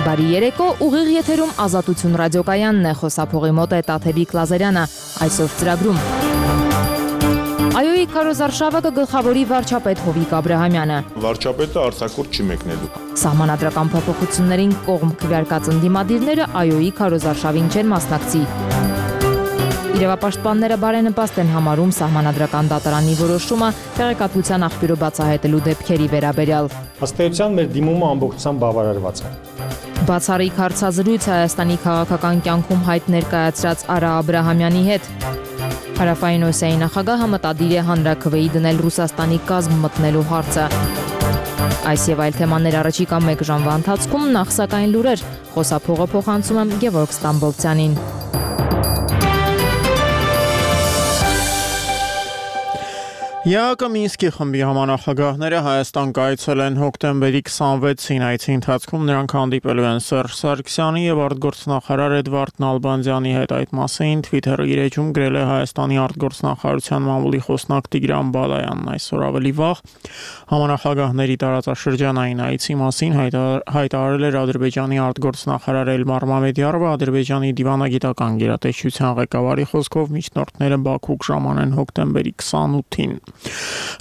Բարի երեկո, ուղիղ եթերում Ազատություն ռադիոկայանն է, խոսափողի մոտ է Տաթևիկ Լազարյանը, այսօր ծրագրում։ Այոյի քարոզարշավը կգլխավորի վարչապետ Հովիկ Աբրահամյանը։ Վարչապետը արձակուրդ չի մեկնելու։ Սահմանադրական փոփոխություններին կողմ քվեարկած ընդդիմադիրները այոյի քարոզարշավին չեն մասնակցի։ Իրավապաշտպանները բարենպաստ են համարում սահմանադրական դատարանի որոշումը տեղեկատվության աղբյուրը բացահայտելու դեպքերի վերաբերյալ։ Ըստ էության մեր դիմումը ամբողջությամբ բավարարված է։ Բացառիկ հարցազրույց Հայաստանի քաղաքական կյանքում հայտ ներկայացրած Արա Աբրահամյանի հետ։ Հարավային Օսիայի նախագահը մտադիր է հանրաքվեի դնել Ռուսաստանի կազմ մտնելու հարցը։ Այս եւ այլ թեմաներ առաջիկա 1 ժամվա ընթացքում, նախ սակայն լուրեր, խոսափողը փոխանցում եմ Գևորգ Ստամբոլցյանին։ ԵԱԿ Մինսկի խմբի համանախագահները Հայաստան կայցել են հոկտեմբերի 26-ին, այցի ընթացքում նրանք հանդիպելու են Սերժ Սարգսյանի եւ արտգործնախարար Էդվարդ Նալբանդյանի հետ։ Այդ մասին Twitter-ի իր էջում գրել է Հայաստանի արտգործնախարարության մամուլի խոսնակ Տիգրան Բալայանն այսօր ավելի վաղ համանախագահների տարածաշրջանային այցի մասին հայտարարել էր Ադրբեջանի արտգործնախարար Էլմար Մամեդյարովը, Ադրբեջանի դիվանագիտական գերատեսչության ղեկավարի խոսքով միջնորդները Բաքու կժամանեն հոկտեմբերի 28-ին։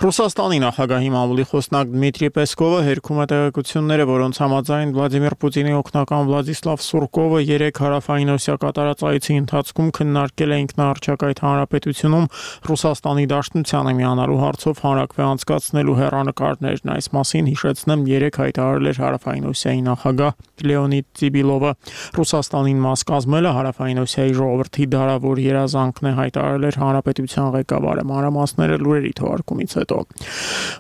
Ռուսաստանի նախագահի մամուլի խոսնակ Դմիտրի Պեսկովը հերքում է տեղեկությունները, որոնց համաձայն Վլադիմիր Պուտինի օգնական Վլադիսլավ Սուրկովը 3 հարավային Օսիա կատարած այցի ընթացքում քննարկել է ինքնաարչակայթ հանրապետությունում Ռուսաստանի դաշնությանը միանալու հարցով հանրաքվե անցկացնելու հեռանկարներն։ Այս մասին հիշեցնեմ 3 հայտարարել էր հարավային Օսիայի նախագահ Լեոնիդ Տիբիլովը։ Ռուսաստանին մաս կազմելը հարավային Օսիայի ժողովրդի դարավոր երազանքն է, հայտարարել էր հանրապետության ղեկավարը։ Մանրամասները լուրերի թողարկումից հետո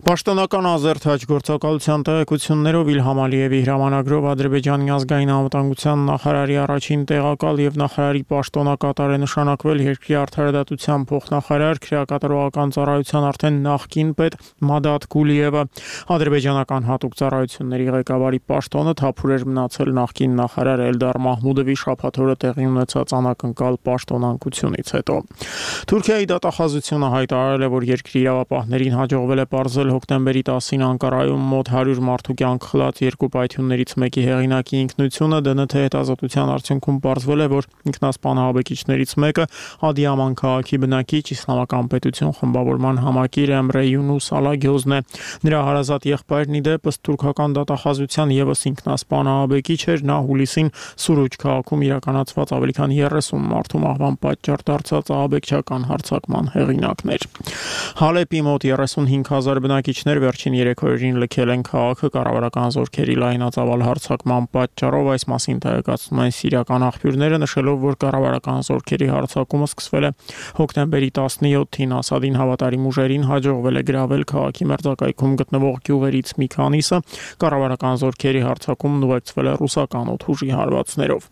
Պաշտոնական ազերտ հաջորդակալության տեղեկություններով Իլհամ Ալիևի հրամանագրով Ադրբեջանի ազգային անվտանգության նախարարի առաջին տեղակալ եւ նախարարի պաշտոնակատար է նշանակվել երկրի արդարադատության փոխնախարար քրեակատարողական ծառայության արդեն նախկին պետ Մադադ Գուլիևը։ Ադրբեջանական հատուկ ծառայությունների ղեկավարի պաշտոնը թափուր էր մնացել նախկին նախարար Էլդար Մահմուդովի շաբաթ օրը տեղի ունեցած անակնկալ պաշտոնանկությունից հետո։ Թուրքիայի դատախազությունը հայտարարել է, որ երկրի իրավապահներին հաջողվել է պարզել հոկտեմբերի 10-ին Անկարայում մոտ 100 մարդու կյանք խլած 2 պայթյուններից մեկի հեղինակի ինքնությունը։ ԴՆԹ հետազոտության արդյունքում պարզվել է, որ ինքնասպան ահաբեկիչներից մեկը Ադիաման քաղաքի բնակիչ Իսլամական պետություն խմբավորման համակիր Էմրե Յունուս Ալագյոզն է։ Նրա հարազատ եղբայրն ի դեպս թուրքական դատախազության եւս ինքնասպան ահաբեկիչ էր։ Նա հուլիսին Սուրուջ քաղաքում իրականացված ավելի քան 30 մարդու մահվան պատճառ դարձած ահաբեկչական հարձակման հեղինակն էր։ Հալեպի մոտ 35,000 բնակիչներ վերջին 3 օրերին լքել են քաղաքը կառավարական զորքերի լայնածավալ հարձակման պատճառով։ Այս մասին տեղեկացնում են սիրիական աղբյուրները, նշելով, որ կառավարական զորքերի հարձակումը սկսվել է հոկտեմբերի 17-ին։ Ասադին հավատարիմ ուժերին հաջողվել է գրավել քաղաքի մերձակայքում գտնվող գյուղերից մի քանիսը։ Կառավարական զորքերի հարձակումն ուղեկցվել է ռուսական օդուժի հարվածներով։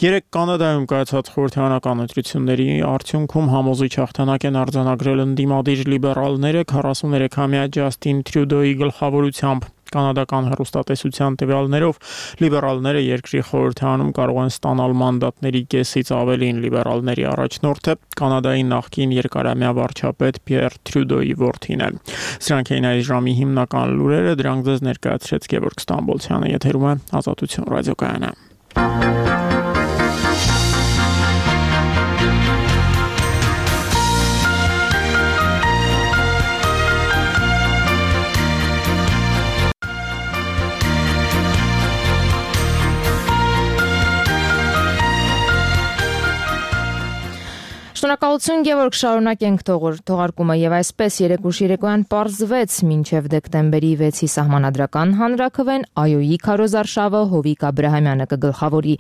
3 Կանադայում կայացած խորհրդարանական ընտրությունների արդյունքում համոզիչ հաղթանակ են արձանագրել ընդդիմադիր լիբերալները 43-ամյա Ջաստին Տրյուդոյի գլխավորությամբ։ Կանադական հեռուստատեսության տվյալներով լիբերալները երկրի խորհրդարանում կարող են ստանալ մանդատների կեսից ավելին։ Լիբերալների առաջնորդը Կանադայի նախկին երկարամյա վարչապետ Պիեր Տրյուդոյի որդին է։ Սրանք էին այս ժամի հիմնական լուրերը, դրանք ձեզ ներկայացրեց Գևորգ Ստամբոլցյանը, եթերում է Ազատություն ռադիոկայանը։ Շնորհակալություն Գևորգ, շարունակենք թողարկումը եւ այսպես երեկոյան պարզվեց մինչեւ դեկտեմբերի 6-ի սահմանադրական հանրաքվեն այոյի քարոզարշավը Հովիկ Աբրահամյանը կգլխավորի։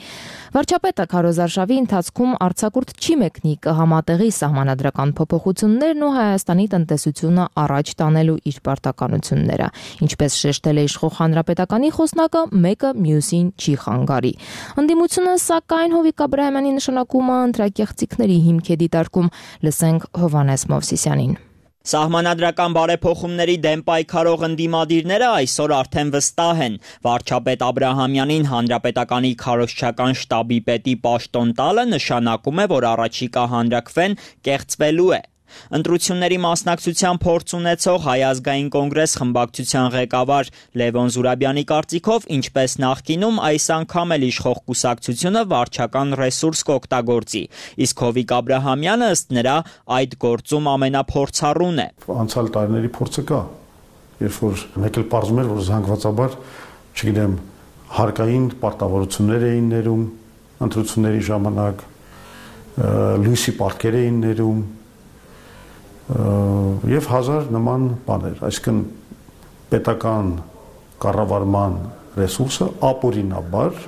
Վարչապետը քարոզարշավի ընթացքում արձակուրդ չի մեկնի, կհամատեղի սահմանադրական փոփոխություններն ու Հայաստանի տնտեսությունը առաջ տանելու իր պարտականությունները։ Ինչպես շեշտել է իշխող հանրապետականի խոսնակը, մեկը մյուսին չի խանգարի։ Ընդդիմությունը սակայն Հովիկ Աբրահամյանի նշանակումը ընտրակեղծիքների հիմք է դիտարկում։ Լսենք Հովանես Մովսիսյանին։ Սահմանադրական բարեփոխումների դեմ պայքարող ընդդիմադիրները այսօր արդեն վստահ են։ Վարչապետ Աբրահամյանին հանրապետականի քարոզչական շտաբի պետի պաշտոն տալը նշանակում է, որ առաջիկա հանրաքվեն կեղծվելու է։ Ընտրությունների մասնակցության փորձ ունեցող Հայ ազգային կոնգրես խմբակցության ղեկավար Լևոն Զուրաբյանի կարծիքով, ինչպես նախկինում, այս անգամ էլ իշխող կուսակցությունը վարչական ռեսուրս կօգտագործի, իսկ Հովիկ Աբրահամյանը ըստ նրա այդ գործում ամենափորձառուն է։ Անցյալ տարիների փորձը կա, երբ որ մեկ էլ պարզում էր, որ զանգվածաբար, չգիտեմ, հարկային պարտավորություններ էին ներում ընտրությունների ժամանակ, լույսի պարտքեր էին ներում եւ հազար նման բաներ, այսինքն պետական կառավարման ռեսուրսը ապօրինաբար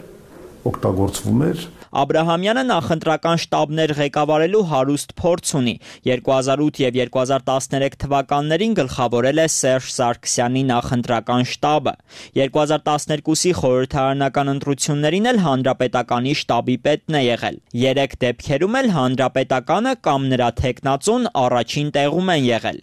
օգտագործվում էր։ Աբրահամյանը նախընտրական շտաբներ ղեկավարելու հարուստ փորձ ունի։ 2008 եւ 2013 թվականներին գլխավորել է Սերժ Սարգսյանի նախընտրական շտաբը։ 2012-ի խորհրդարանական ընտրություններին էլ հանրապետականի շտաբի պետն է եղել։ 3 դեպքերում էլ հանրապետականը կամ նրա թեկնածուն առաջին տեղում են եղել։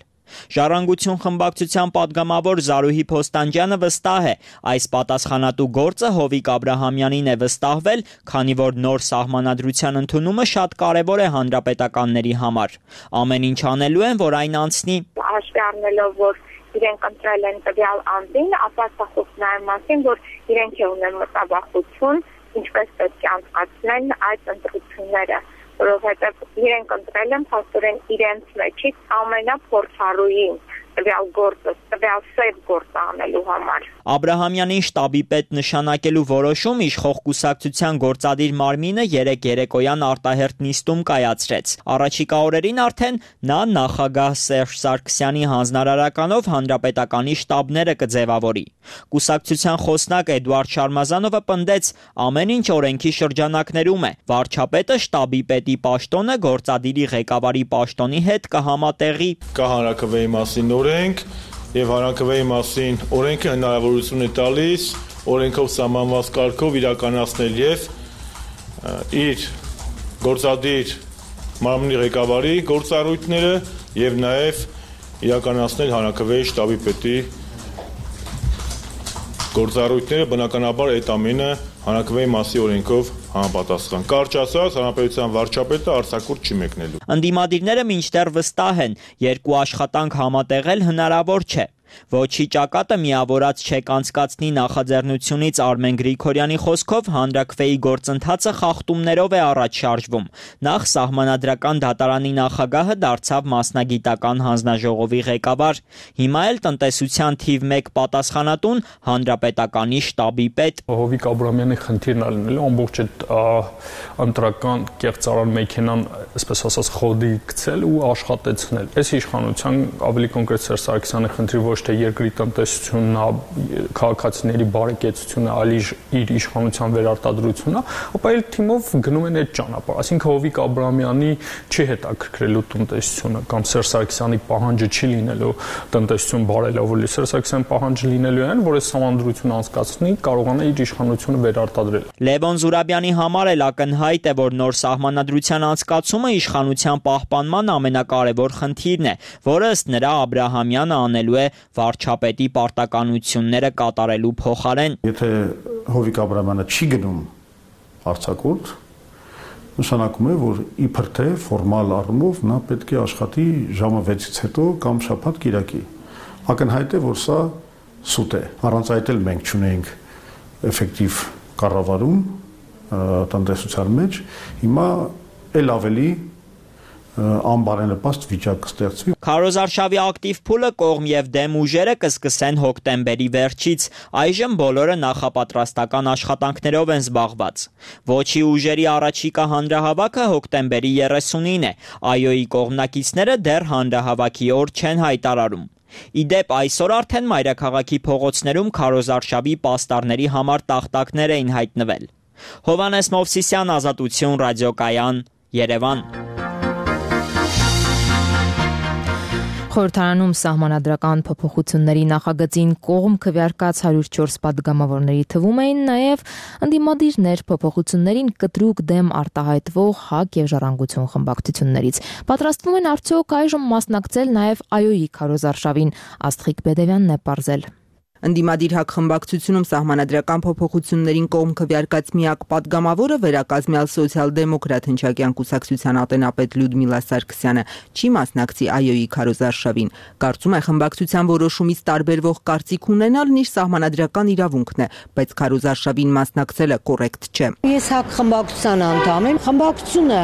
Ժառանգություն խմբակցության падգամավոր Զարուհի Փոստանջյանը վստահ է, այս պատասխանատու գործը Հովիկ Աբրահամյանին է վստահվել, քանի որ նոր սահմանադրության ընդունումը շատ կարևոր է հանրապետականների համար։ Ամեն ինչ անելու են, որ այն անցնի։ Հաշվի առնելով, որ իրենք ընտրել են տվյալ անձին, ապա սա խոսում է մասին, որ իրենք ունեն մտավախություն, ինչպես պետք է անցկացնեն այդ ընտրությունները, որովհետև իրենք ընտրել են փաստորեն իրենց մեջից ամենափորձառուին տվյալ գործը, տվյալ սև գործը անելու համար։ Աբրահամյանին շտաբի պետ նշանակելու որոշում իշխող կուսակցության գործադիր մարմինը երեկոյան արտահերթ նիստում կայացրեց։ Առաջիկա օրերին արդեն նա նախագահ Սերժ Սարգսյանի հանձնարարականով հանրապետականի շտաբները կձևավորի։ Կուսակցության խոսնակ Էդուարդ Շարմազանովը պնդեց, ամեն ինչ օրենքի շրջանակներում է։ Վարչապետը շտաբի պետի պաշտոնը գործադիրի ղեկավարի պաշտոնի հետ կհամատեղի։ Կա հանրաքվեի մասին օրենք եւ հանրաքվեի մասին օրենքը հնարավորություն է տալիս օրենքով սահմանված կարգով իրականացնել եւ իր գործադիր մարմնի ղեկավարի գործառույթները եւ նաեւ իրականացնել հանրաքվեի շտաբի պետի գործառույթները, բնականաբար այդ ամենը հանրաքվեի մասի օրենքով համապատասխան։ Կարճ ասած, հանրապետության վարչապետը արձակուրդ չի մեկնելու։ Ընդդիմադիրները մինչդեռ վստահ են, երկու աշխատանք համատեղել հնարավոր չէ։ Ոչի ճակատը միավորած չեք անցկացնի նախաձեռնությունից Արմեն Գրիգորյանի խոսքով հանրաքվեի գործընթացը խախտումներով է առաջ շարժվում։ Նախ սահմանադրական դատարանի նախագահը դարձավ մասնագիտական հանձնաժողովի ղեկավար, հիմա էլ տնտեսության թիվ 1 պատասխանատուն հանրապետականի շտաբի պետ։ Հովիկ Աբրահամյանի խնդիրն է լինելու ամբողջ այդ ընտրական կեղծարար մեքենան, այսպես ասած, խոդի գցել ու աշխատեցնել։ Այս իշխանության ավելի կոնկրետ Սերժ Սարգսյանի խնդիրը ոչ թե երկրի տնտեսությունն, քաղաքացիների բարեկեցությունը, այլ իր իշխանության վերարտադրությունն է, ապա այլ թիմով գնում են այդ ճանապարհ։ Այսինքն Հովիկ Աբրահամյանի չի հետաքրքրելու տնտեսությունը կամ Սերժ Սարգսյանի պահանջը չի լինելու տնտեսություն բարելավելու։ Սերժ Սարգսյանի պահանջը լինելու այն, որ այս համանդրությունը անցկացնի, կարողանա իր իշխանությունը վերարտադրել։ Լևոն Զուրաբյանի համար էլ ակնհայտ է, որ նոր սահմանադրության անցկացումը իշխանության պահպանման ամենակարևոր խնդիրն է, որը ըստ նրա Աբրահամյանը անելու է վարչապետի պարտականությունները կատարելու փոխարեն։ Եթե Հովիկ Աբրահամյանը չի գնում արձակուրդ, նշանակում է, որ իբր թե ֆորմալ առումով նա պետք է աշխատի ժամը 6-ից հետո կամ շաբաթ կիրակի։ Ակնհայտ է, որ սա սուտ է։ Առանց այդ էլ մենք չունենք էֆեկտիվ կառավարում տնտեսության մեջ, հիմա էլ ավելի անբարենպաստ վիճակ կստեղծվի։ Քարոզարշավի ակտիվ փուլը կողմ եւ դեմ ուժերը կսկսեն հոկտեմբերի վերջից։ Այժմ բոլորը նախապատրաստական աշխատանքներով են զբաղված։ Ոչի ուժերի առաջիկա հանրահավաքը հոկտեմբերի 30-ին է։ ԱՅՈ-ի կողմնակիցները դեռ հանրահավաքի օր չեն հայտարարում։ Իդեպ այսօր արդեն մայրաքաղաքի փողոցներում քարոզարշավի պաստառների համար տախտակներ էին հայտնվել։ Հովանես Մովսիսյան, Ազատություն, ռադիոկայան, Երևան։ Խորհրդարանում սահմանադրական փոփոխությունների նախագծին կողմ քվեարկած 104 падգամավորների թվում էին նաև ընդդիմադիրներ փոփոխություններին կտրուկ դեմ արտահայտվող ՀԱԿ եւ Ժառանգություն խմբակցություններից։ Պատրաստվում են արդյոք այժմ մասնակցել նաև ԱՅՈ-ի քարոզարշավին, Աստղիկ Բեդևյանն է պարզել։ Ընդդիմադիր հակ խմբակցությունում սահմանադրական փոփոխություններին կողմ քվեարկած միակ պատգամավորը վերակազմյալ սոցիալ-դեմոկրատ հնչակյան կուսակցության ատենապետ Լյուդմիլա Սարգսյանը չի մասնակցի ԱՅՈ-ի քարոզարշավին։ Կարծում է խմբակցության որոշումից տարբերվող կարծիք ունենալն իր սահմանադրական իրավունքն է, բայց քարոզարշավին մասնակցելը կոռեկտ չէ։ Ես հակ խմբակցության անդամ եմ, խմբակցությունը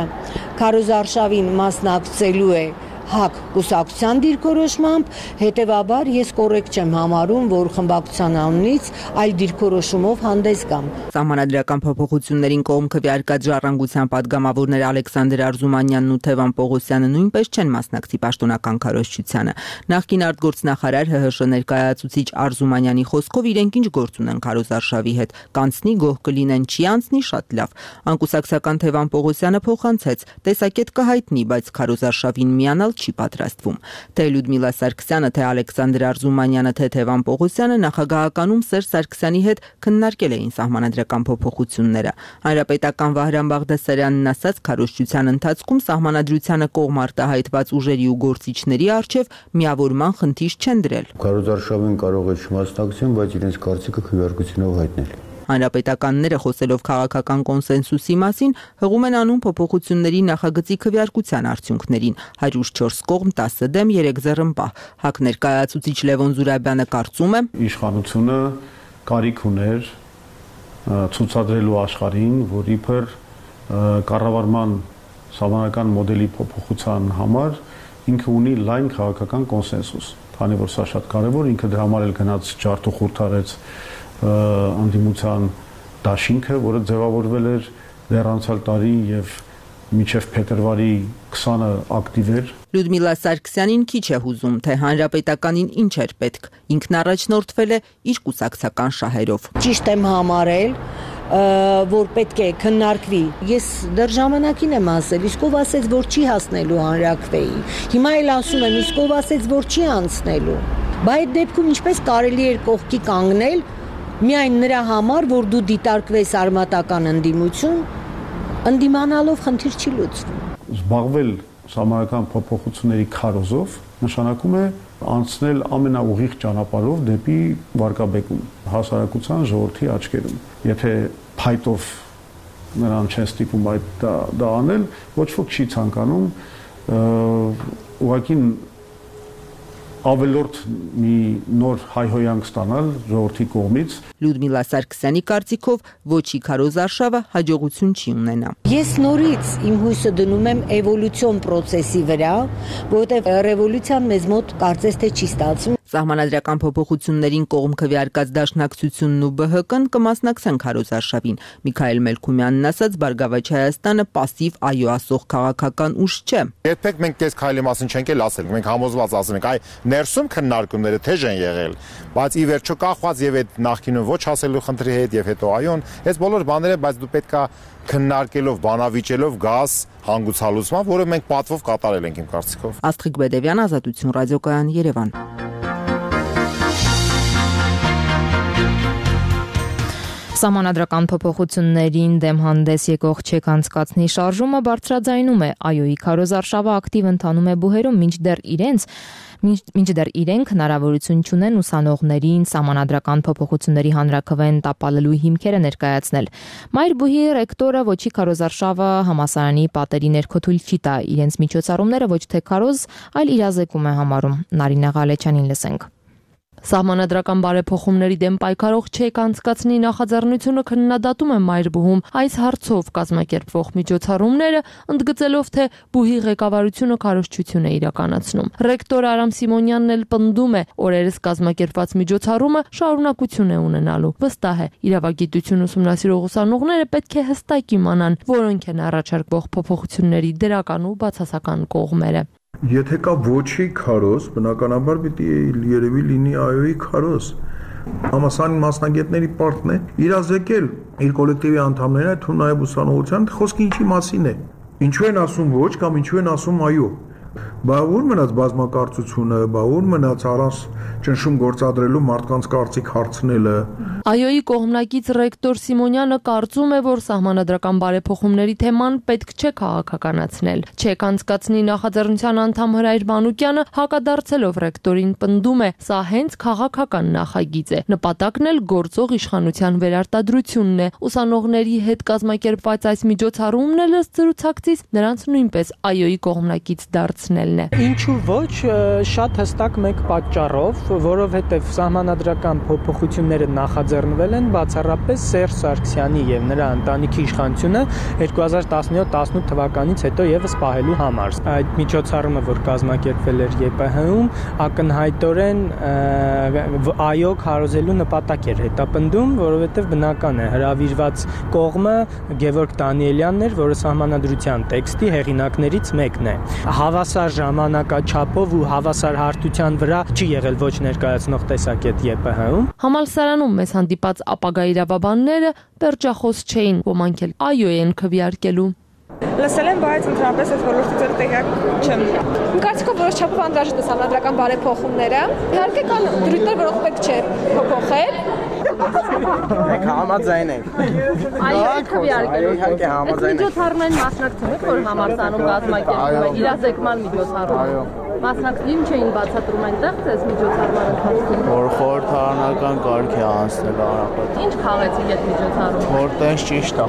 քարոզարշավին մասնակցելու է հակ կուսակցության դիրքորոշմամբ, հետևաբար ես կոռեկտ չեմ համարում, որ խմբակցության անունից այլ դիրքորոշումով հանդես գամ։ Սահմանադրական փոփոխություններին կողմ քվեարկած ժառանգության падգամավորներ Ալեքսանդր Արզումանյանն ու Թևան Պողոսյանը նույնպես չեն մասնակցի պաշտոնական քարոզչությանը։ Նախկին արտգործնախարար ՀՀՇ ներկայացուցիչ Արզումանյանի խոսքով իրենք ինչ գործ ունեն քարոզարշավի հետ, կանցնի գոհ կլինեն, չի անցնի շատ լավ։ Անկուսակցական Թևան Պողոսյանը փոխանցեց, տեսակետ կհայտնի, բայց քարոզարշավին միանալ չի պատրաստվում։ Թե Լյուդմիլա Սարգսյանը, թե Ալեքսանդր Արզումանյանը, թե Թևան Պողոսյանը նախագահականում Սերժ Սարգսյանի հետ քննարկել էին սահմանադրական փոփոխությունները։ Հանրապետական Վահրամ Բաղդասարյանն ասաց, քարոզչության ընթացքում սահմանադրությանը կողմ արտահայտված ուժերի ու գործիչների առջև միավորման խնդիր չեն դրել։ Քարոզարշավին կարող է չմասնակցեն, բայց իրենց կարծիքը քվեարկությունով հայտնել։ Հանրապետականները խոսելով քաղաքական կոնսենսուսի մասին հղում են անուն փոփոխությունների նախագծի քվեարկության արդյունքներին 104 կողմ 10 դեմ 3 ձեռնպահ։ ՀԱԿ ներկայացուցիչ Լևոն Զուրաբյանը կարծում է, իշխանությունը կարիք ուներ ցուցադրելու աշխարհին, որ իբր կառավարման սահմանական մոդելի փոփոխության համար ինքը ունի լայն քաղաքական կոնսենսուս, քանի որ սա շատ կարևոր, ինքը դրա համար էլ գնաց ջարդ ու խորթ արեց անդիմության դաշինքը, որը ձևավորվել էր դեռ անցյալ տարի եւ մինչեւ փետրվարի 20-ը ակտիվ էր։ Լյուդմիլա Սարգսյանին քիչ է հուզում, թե հանրապետականին ինչ էր պետք։ Ինքն առաջնորդվել է իր կուսակցական շահերով։ Ճիշտ եմ համարել, որ պետք է քննարկվի։ Ես դեռ ժամանակին եմ ասել, իսկ ով ասեց, որ չի հասնելու հանրակրվեի։ Հիմա էլ ասում եմ, իսկ ով ասեց, որ չի անցնելու։ Բայց այդ դեպքում ինչպես կարելի էր կողքի կանգնել միայն նրա համար, որ դու դիտարկվես արմատական ընդդիմություն, ընդդիմանալով խնդիր չի լուծվում։ Զբաղվել սահմանադրական փոփոխությունների քարոզով նշանակում է անցնել ամենաուղիղ ճանապարհով դեպի վարկաբեկում հասարակության ժողովրդի աչքերում։ Եթե փայտով նրան չեն ստիպում դա անել, ոչ ոք չի ցանկանում ուղղակի ավելորդ մի նոր հայհոյանք ստանալ ժողովրդի կողմից։ Լյուդմիլա Սարգսյանի կարծիքով ոչի քարոզարշավը հաջողություն չի ունենա։ Ես նորից իմ հույսը դնում եմ էվոլյուցիոն process-ի վրա, որովհետև ռևոլյուցիան մեզ մոտ կարծես թե չի ստացվում։ Սահմանադրական փոփոխություններին կողմ քվեարկած Դաշնակցությունն ու ԲՀԿ-ն կմասնակցեն քարոզարշավին։ Միքայել Մելքումյանն ասաց, Բարգավաճ Հայաստանը պասիվ այո ասող քաղաքական ուժ չէ։ Երբեք մենք այս քայլի մասին չենք էլ ասել, մենք համոզված ասում ենք, այ ներսում քննարկումները թեժ են եղել, բայց ի վերջո կախված եւ այդ նախկինում ոչ ասելու խնդրի հետ եւ հետո այոն, այս բոլոր բաները, բայց դու պետքա քննարկելով, բանավիճելով գազ հանգուցալուծման, որը մենք պատվով կատարել ենք իմ կարծիքով։ Աստղիկ Բեդևյան, Ազատություն ռադիոկայան, Երևան։ Սահմանադրական փոփոխություններին դեմ հանդես եկող չեք անցկացնի շարժումը բարձրաձայնում է ԱՅՈ-ի քարոզարշավը ակտիվ ընթանում է բուհերում, մինչդեռ իրենք հնարավորություն չունեն ուսանողներին սահմանադրական փոփոխությունների հանրաքվեն տապալելու հիմքերը ներկայացնել։ Մայր բուհի ռեկտորը ոչի քարոզարշավը համասարանի պատերի ներքո թույլ չի տա, իրենց միջոցառումները ոչ թե քարոզ, այլ իրազեկում է համարում։ Նարինե Ղալեչյանին լսենք։ Սահմանադրական բարեփոխումների դեմ պայքարող չեք անցկացնի նախաձեռնությունը քննադատում է Մայրբուհում այս հարցով կազմակերպվող միջոցառումները, ընդգծելով, թե բուհի ղեկավարությունը քարոզչություն է իրականացնում։ Ռեկտոր Արամ Սիմոնյանն էլ պնդում է, օրերս կազմակերպված միջոցառումը շարունակություն է ունենալու։ Վստահ է, իրավագիտություն ուսումնասիրող ուսանողները պետք է հստակ իմանան, որոնք են առաջարկվող փոփոխությունների դրական ու բացասական կողմերը։ Եթե կա ոչի քարոզ, բնականաբար պիտի երևի լինի ԱՅՈ-ի քարոզ։ Համասարանի մասնագետների պարտն է իրազեկել իր կոլեկտիվի անդամները, թվում նաև ուսանողության, խոսքը ինչի մասին է։ Ինչու են ասում ոչ կամ ինչու են ասում այո։ Բա ուր մնաց բազմակարծությունը, բա ուր մնաց առանց ճնշում գործադրելու մարդկանց կարծիք հարցնելը։ ԱՅՈ-ի կողմնակից ռեկտոր Սիմոնյանը կարծում է, որ սահմանադրական բարեփոխումների թեման պետք չէ քաղաքականացնել։ ՉԵԿ անցկացնի նախաձեռնության անդամ Հրայր Մանուկյանը հակադարձելով ռեկտորին պնդում է, սա հենց քաղաքական նախագիծ է։ Նպատակն էլ գործող իշխանության վերարտադրությունն է։ Ուսանողների հետ կազմակերպված այս միջոցառումն էլ ըստ զրուցակցից նրանց նույնպես ԱՅՈ-ի կողմնակից դարձնելն է։ Ինչու ոչ, շատ հստակ մեկ պատճառով, որովհետև սահմանադրական փոփոխությունները նախաձեռնվել են բացառապես Սերժ Սարգսյանի եւ նրա ընտանիքի իշխանությունը 2017-18 թվականից հետո եւս պահելու համար։ Այդ միջոցառումը, որ կազմակերպվել էր ԵՊՀ-ում, ակնհայտորեն ԱՅՈ քարոզելու նպատակ էր հետապնդում, որովհետև բնական է հրավիրված կողմը Գևորգ Դանիելյանն էր, որը սահմանադրության տեքստի հեղինակներից մեկն է։ Հավասար ժամանակաչափով ու հավասար հարթության վրա չի եղել ոչ ներկայացնող տեսակետ ԵՊՀ-ում։ Համալսարանում մեզ հանդիպած ապագա իրավաբանները պերճախոս չէին, ոմանք էլ ԱՅՈ են քվեարկելու։ Լսել եմ, բայց ընդհանրապես այս ոլորտից էլ տեղյակ չեմ։ Իմ կարծիքով որոշ չափով անհրաժեշտ է սահմանադրական բարեփոխումները։ Իհարկե կան դրույթներ, որոնք պետք չէ փոփոխել։ Մենք համաձայն ենք։ ԱՅՈ-ը քվեարկելու։ Իհարկե համաձայն ենք։ Միջոցառումային մասնակցում եք, որ համալսարանում կազմակերպվում է իրազեկման միջոցառում։ Մասնակցին չէին բացատրում այնտեղ այս միջոցառման ընթացքում։ Որ խորհրդարանական կարգ է անցնել անապատ։ Ինչ խաղեցիք այդ միջոցառում։ Որ տես ճիշտ է։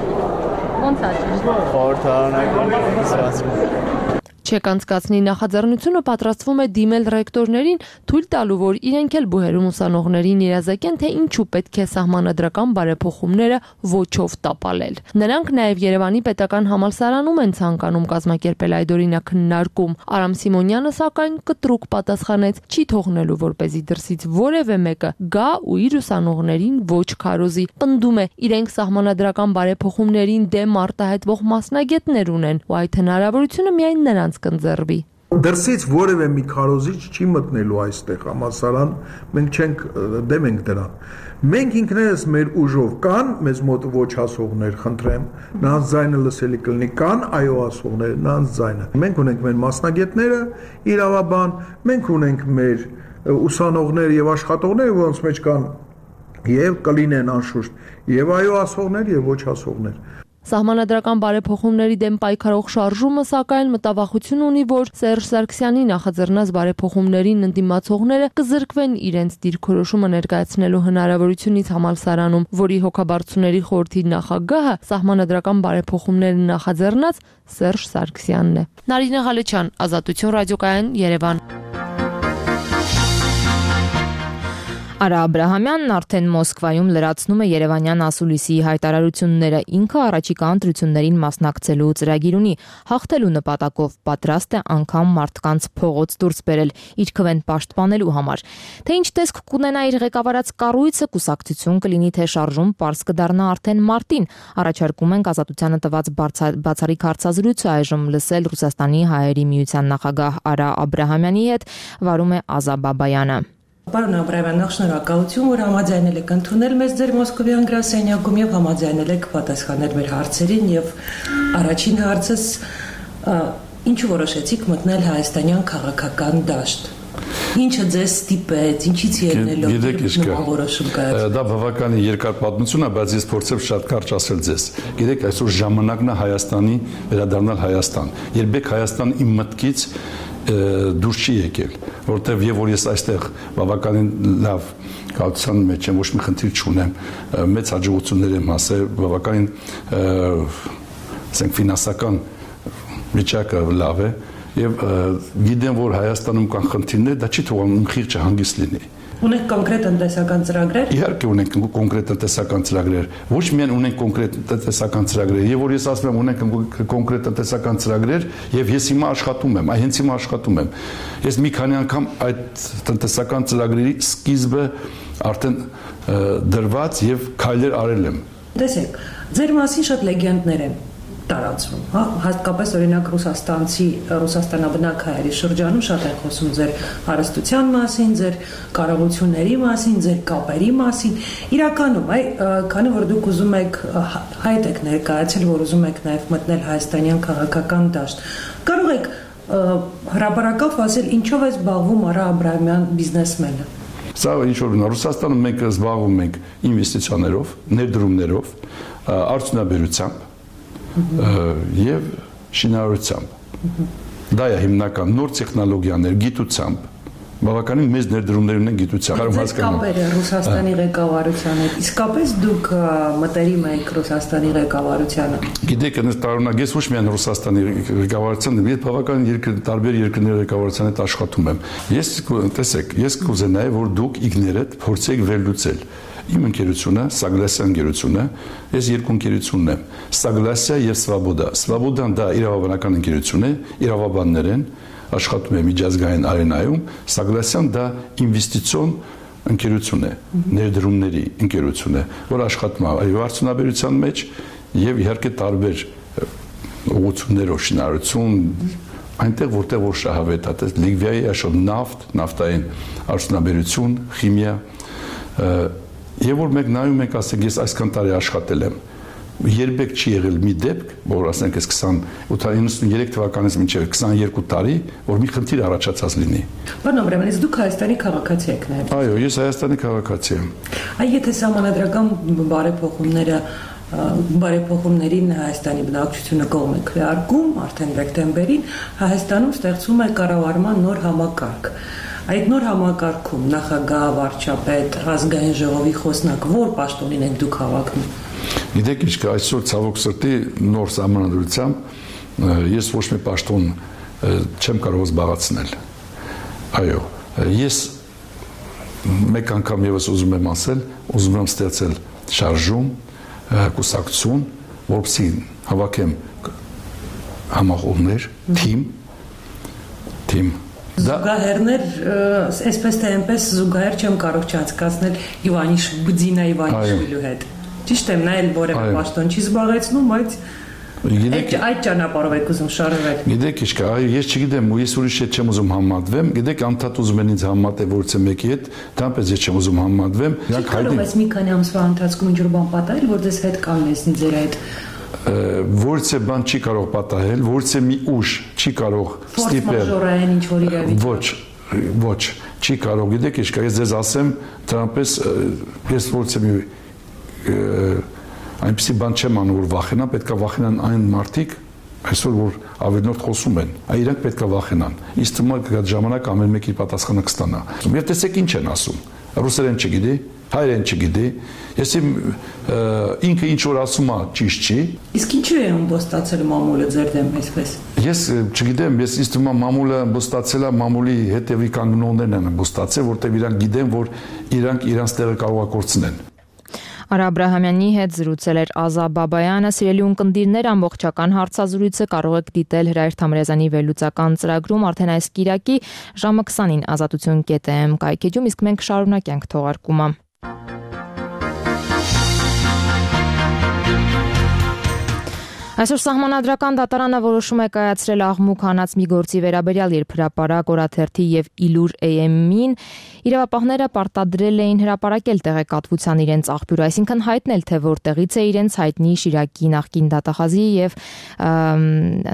Ոնց է ճիշտ։ Խորհրդարանական կիսվածքում։ ՉԵԿ անցկացնի նախաձեռնությունը պատրաստվում է դիմել ռեկտորներին, թույլ տալու, որ իրենք էլ բուհերում ուսանողներին իրազեկեն, թե ինչու պետք է սահմանադրական բարեփոխումները ոչով տապալել։ Նրանք նաև Երևանի պետական համալսարանում են ցանկանում կազմակերպել այդ օրինակ քննարկում։ Արամ Սիմոնյանը սակայն կտրուկ պատասխանեց, չի թողնելու, որպեսզի դրսից որևէ մեկը գա ու իր ուսանողներին ոչ քարոզի։ Պնդում է, իրենք սահմանադրական բարեփոխումներին դեմ արտահայտվող մասնագետներ ունեն, ու այդ հնարավորությունը միայն նրանց կընձեռվի։ Դրսից որևէ մի քարոզիչ չի մտնելու այստեղ համալսարան, մենք չենք դեմ ենք դրան։ Մենք ինքներս մեր ուժով կան մեզ մոտ ոչ ասողներ, խնդրեմ, նրանց ձայնը լսելի կլինի, կան այո ասողներ, նրանց ձայնը։ Մենք ունենք մեր մասնագետները, իրավաբան, մենք ունենք մեր ուսանողներ եւ աշխատողներ, որոնց մեջ կան եւ կլինեն անշուշտ եւ այո ասողներ եւ ոչ ասողներ։ Սահմանադրական բարեփոխումների դեմ պայքարող շարժումը սակայն մտավախություն ունի, որ Սերժ Սարգսյանի նախաձեռնած բարեփոխումներին ընդդիմացողները կզրկվեն իրենց դիրքորոշումը ներկայացնելու հնարավորությունից համալսարանում, որի հոգաբարձուների խորհրդի նախագահը սահմանադրական բարեփոխումները նախաձեռնած Սերժ Սարգսյանն է։ Նարինե Ղալեչյան, Ազատություն ռադիոկայան, Երևան։ Արա Աբրահամյանն արդեն Մոսկվայում լրացնում է Երևանյան ասուլիսի հայտարարությունները, ինքը առաջիկա ընտրություններին մասնակցելու ծրագիր ունի, հաղթելու նպատակով պատրաստ է անգամ մարդկանց փողոց դուրս բերել իր քվեն պաշտպանելու համար։ Թե ինչ տեսք կունենա իր ղեկավարած կառույցը, կուսակցություն կլինի, թե շարժում պարզ կդառնա արդեն մարտին։ Առաջարկում ենք Ազատությանը տված բացառիկ հարցազրույցը այժմ լսել Ռուսաստանի հայերի միության նախագահ Արա Աբրահամյանի հետ, վարում է Ազա Բաբայանը։ Պարոն Աբրահամյան, շնորհակալություն, որ համաձայնել եք ընդունել մեզ ձեր Մոսկովյան գրասենյակում եւ համաձայնել եք պատասխանել մեր հարցերին եւ առաջին հարցս ինչու որոշեցիք մտնել հայաստանյան քաղաքական դաշտ։ Ինչը ձեզ ստիպեց, ինչից ելնելով որոշում կայացրել։ Դա բավականին երկար պատմություն է, բայց ես փորձեմ շատ կարճ ասել ձեզ։ Գիտեք, այսօր ժամանակն է Հայաստանի վերադառնալ Հայաստան։ Երբեք Հայաստան իմ մտքից դուրս չի եկել, որտեվ եւ որ ես այստեղ բավականին լավ կառուցության մեջ եմ, ոչ մի խնդիր չունեմ, մեծ հաջողություններ եմ հասել, բավականին ասենք ֆինանսական վիճակը լավ է եւ գիտեմ, որ Հայաստանում կան խնդիրներ, դա չի թողնում խիղճը հանգիստ լինի։ Ունենք կոնկրետ տնտեսական ծրագրեր։ Իհարկե ունենք կոնկրետ տնտեսական ծրագրեր։ Ոչ միայն ունենք կոնկրետ տնտեսական ծրագրեր, եւ որ ես ասում եմ ունենք կոնկրետ տնտեսական ծրագրեր, եւ ես հիմա աշխատում եմ, հենց հիմա աշխատում եմ։ Ես մի քանի անգամ այդ տնտեսական ծրագրերի սկիզբը արդեն դրված եւ քայլեր արել եմ։ Տեսեք, ձեր մասին շատ լեգենդներ են տարածվում, հա, հատկապես օրինակ Ռուսաստանաբնակ հայերի շրջանում շատ են խոսում ձեր հարստության մասին, ձեր կարողությունների մասին, ձեր կապերի մասին։ Իրականում, քանի որ դուք ուզում եք հայտ եք ներկայացել, որ ուզում եք նաև մտնել հայաստանյան քաղաքական դաշտ, կարող եք հրապարակավ ասել ինչով է զբաղվում Արա Աբրահամյան բիզնեսմենը։ Սա ինչ որ Ռուսաստանում մենք զբաղվում ենք ինվեստիցիաներով, ներդրումներով, արդյունաբերությամբ եւ շինարարությամբ։ Դա է հիմնական նոր տեխնոլոգիաներ, գիտությամբ, բավականին մեծ ներդրումներ ունեն գիտությամբ։ Կարո՞ղ կապերը Ռուսաստանի ղեկավարության հետ։ Իսկապես դուք մտերիմ եք Ռուսաստանի ղեկավարությանը։ Գիտեք, այնպես տարօրինակ ես ոչ միայն Ռուսաստանի ղեկավարության, ես բավական տարբեր երկրների ղեկավարության հետ աշխատում եմ։ Ես կուզենայի, որ դուք իգներդ փորձեք վերլուծել իմ ընկերությունը, Սագլասյան ընկերությունը, ես երկու ընկերությունն եմ, Սագլասիա եւ Սվաբոդա։ Սվաբոդան դա իրավաբանական ընկերություն է, իրավաբաններ են, աշխատում է միջազգային արենայում, Սագլասյան դա ինվեստիցիոն ընկերություն է, ներդրումների ընկերություն է, որ աշխատում է արդյունաբերության մեջ եւ իհարկե տարբեր ուղղություններով շինարարություն, այնտեղ որտեղ որ շահավետ է, Լիգվիայի աշխատ նավթ, նավթային արդյունաբերություն, քիմիա, եւ որ մենք նայում ենք, ասենք ես այսքան տարի աշխատել եմ, երբեք չի եղել մի դեպք, որ ասենք ես 93 թվականից մինչև 22 տարի, որ մի խնդիր առաջացած լինի։ Պարոն Աբրահամյան, դուք Հայաստանի քաղաքացի եք նաև։ Այո, ես Հայաստանի քաղաքացի եմ։ Այ եթե սահմանադրական բարեփոխումներին Հայաստանի բնակչությունը կողմ է քվեարկում արդեն դեկտեմբերին, Հայաստանում ստեղծվում է կառավարման նոր համակարգ։ Այդ նոր համակարգում նախագահ, վարչապետ, ազգային ժողովի խոսնակ ո՞ր պաշտոնին եք դուք հավակնում։ Գիտեք ինչ կա, այսօր ցավոք սրտի նոր սահմանադրությամբ ես ոչ մի պաշտոն չեմ կարող զբաղեցնել։ Այո, ես մեկ անգամ եւս ուզում եմ ասել, ուզում եմ ստեղծել շարժում, կուսակցություն, որպեսզի հավաքեմ համախոհներ, թիմ Զուգահեռներ, այսպես թե այնպես զուգահեռ չեմ կարող չհասկացնել Բուդինա Իվանիշվիլու հետ։ Ճիշտ եմ, նա էլ որևէ պաշտոն չի զբաղեցնում, բայց այդ ճանապարհով եք ուզում շարժվել։ Գիտեք ինչ կա, ես չգիտեմ, ես ուրիշ հետ չեմ ուզում համատվեմ, գիտեք անդադ ուզում են ինձ համատել որցե մեկի հետ, դրանպես ես չեմ ուզում համատվեմ։ Կարող ես մի քանի ամսվա ընթացքում ինչ-որ բան պատահել, որ դες հետ կանգնեցնի ձեր այդ Որցե բան չի կարող պատահել, որցե մի ուժ չի կարող ստիպել։ Մաժորային ինչ-որ իրավիճակ։ Ոչ, չի կարող, գիտեք ինչ կա, ես ձեզ ասեմ, դրանպես ես որցե մի այնպեսի բան չեմ անում, որ վախենա, պետք է վախենան այն մարդիկ, այսօր որ ավելնորդ խոսում են, իրանք պետք է վախենան։ Իսկ թվում է կգա ժամանակ ամեն մեկի պատասխանը կստանա։ Եվ տեսեք ինչ են ասում։ Ռուսերեն չգիտի, հայերեն չգիտի, ես ինքը ինչ որ ասում է ճիշտ չի։ Իսկ ինչու է ըմբոստացել մամուլը ձեր դեմ այսպես։ Ես չգիտեմ, ես ինձ թվում է մամուլը ըմբոստացել է, մամուլի հետևի կանգնողներն են ըմբոստացել, որտեղ իրանք գիտեն, որ իրանք տեղը կարող է կորցնեն։ Արա Աբրահամյանի հետ զրուցել էր Ազա Բաբայանը, սիրելի ունկնդիրներ, ամբողջական հարցազրույցը կարող եք դիտել Հրայր Թամրազյանի վերլուծական ծրագրում արդեն այս կիրակի ժամը 20-ին azatutun.am կայքեջում, իսկ մենք շարունակենք թողարկումը։ Այսօր Սահմանադրական դատարանը որոշում է կայացրել աղմուկ հանած մի գործի վերաբերյալ, երբ հրապարակ օրաթերթի եւ Իլուր AM-ին իրավապահները պարտադրել էին հրապարակել տեղեկատվության իրենց աղբյուրը, այսինքն հայտնել, թե որտեղից է իրենց հայտնի Շիրակի նախկին դատախազի եւ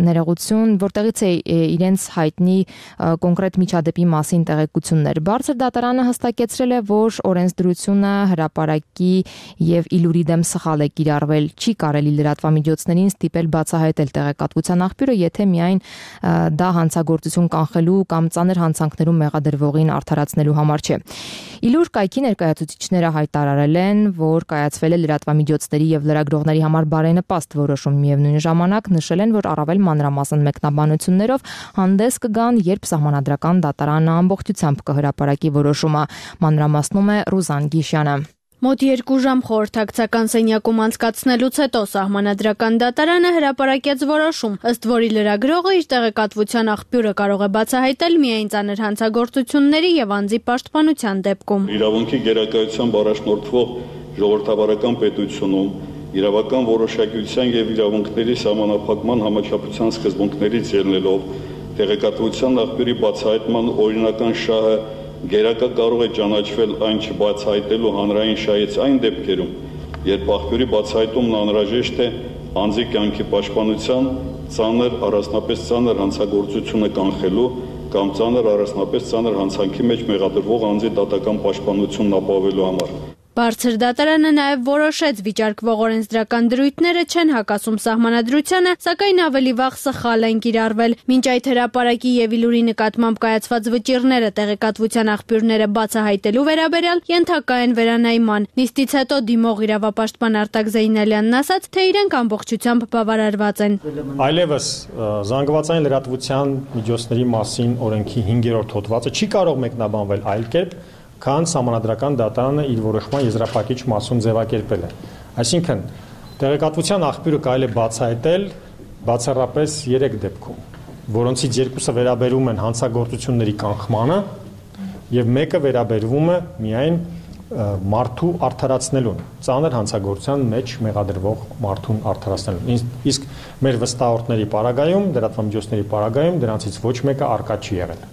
ներողություն, որտեղից է իրենց հայտնի կոնկրետ միջադեպի մասին տեղեկություններ։ Բարձր դատարանը հստակեցրել է, որ օրենսդրությունը հրապարակի եւ Իլուրի դեմ սխալ է կիրառվել, չի կարելի լրատվամիջոցներին ստիպել բացահայտել տեղեկատվության աղբյուրը, եթե միայն դա հանցագործություն կանխելու կամ ծանր հանցանքներում մեղադրվողին արդարացնելու համար չէ։ Իլուր կայքի ներկայացուցիչները հայտարարել են, որ կայացվել է լրատվամիջոցների եւ լրագրողների համար բարենպաստ որոշում, միևնույն ժամանակ նշել են, որ առավել մանրամասն մեկնաբանություններով հանդես կգան, երբ Սահմանադրական դատարանը ամբողջությամբ կհրապարակի որոշումը, մանրամասնում է Ռուզան Գիշյանը։ Մոտ 2 ժամ խորհրդակցական սենյակում անցկացնելուց հետո Սահմանադրական դատարանը հրապարակեց որոշում, ըստ որի լրագրողը իր տեղեկատվության աղբյուրը կարող է բացահայտել միայն ծանր հանցագործությունների եւ անձի պաշտպանության դեպքում։ Իրավունքի գերակայությամբ առաջնորդվող ժողովրդավարական պետությունում իրավական որոշակիության եւ իրավունքների սահմանափակման համաչափության սկզբունքներից ելնելով տեղեկատվության աղբյուրի բացահայտման օրինական շահը գերակա կարող է ճանաչվել այն չբացահայտելու հանրային շահից այն դեպքերում, երբ աղբյուրի բացահայտումն անհրաժեշտ է անձի կյանքի պաշտպանության, ծանր առանձնապես ծանր հանցագործությունը կանխելու կամ ծանր առանձնապես ծանր հանցանքի մեջ մեղադրվող անձի դատական պաշտպանությունն ապահովելու համար։ Բարձր դատարանը նաև որոշեց վիճարկվող օրենսդրական դրույթները չեն հակասում սահմանադրությանը, սակայն ավելի վաղ սխալ են կիրառվել։ Մինչ այդ հրապարակի եւ իլուրի նկատմամբ կայացված վճիռները տեղեկատվության աղբյուրները բացահայտելու վերաբերյալ ենթակա են վերանայման։ Նիստից հետո դիմող իրավապաշտպան Արտակ Զեյնալյանն ասաց, թե իրենք ամբողջությամբ բավարարված են։ Այլևս զանգվածային լրատվության միջոցների մասին օրենքի 5-րդ հոդվածը չի կարող մեկնաբանվել այլ կերպ, քան սահմանադրական դատարանը իր որոշման եզրափակիչ մասում ձևակերպել է։ Այսինքն, տեղեկատվության աղբյուրը կարելի է բացահայտել բացառապես 3 դեպքում, որոնցից 2-ը վերաբերում են հանցագործությունների կանխմանը եւ մեկը վերաբերվում է միայն մարդու արդարացնելուն, ծանր հանցագործության մեջ մեղադրվող մարդուն արդարացնելուն։ Իսկ մեր վստահորդների պարագայում, լրատվամիջոցների պարագայում դրանցից ոչ մեկը առկա չի եղել։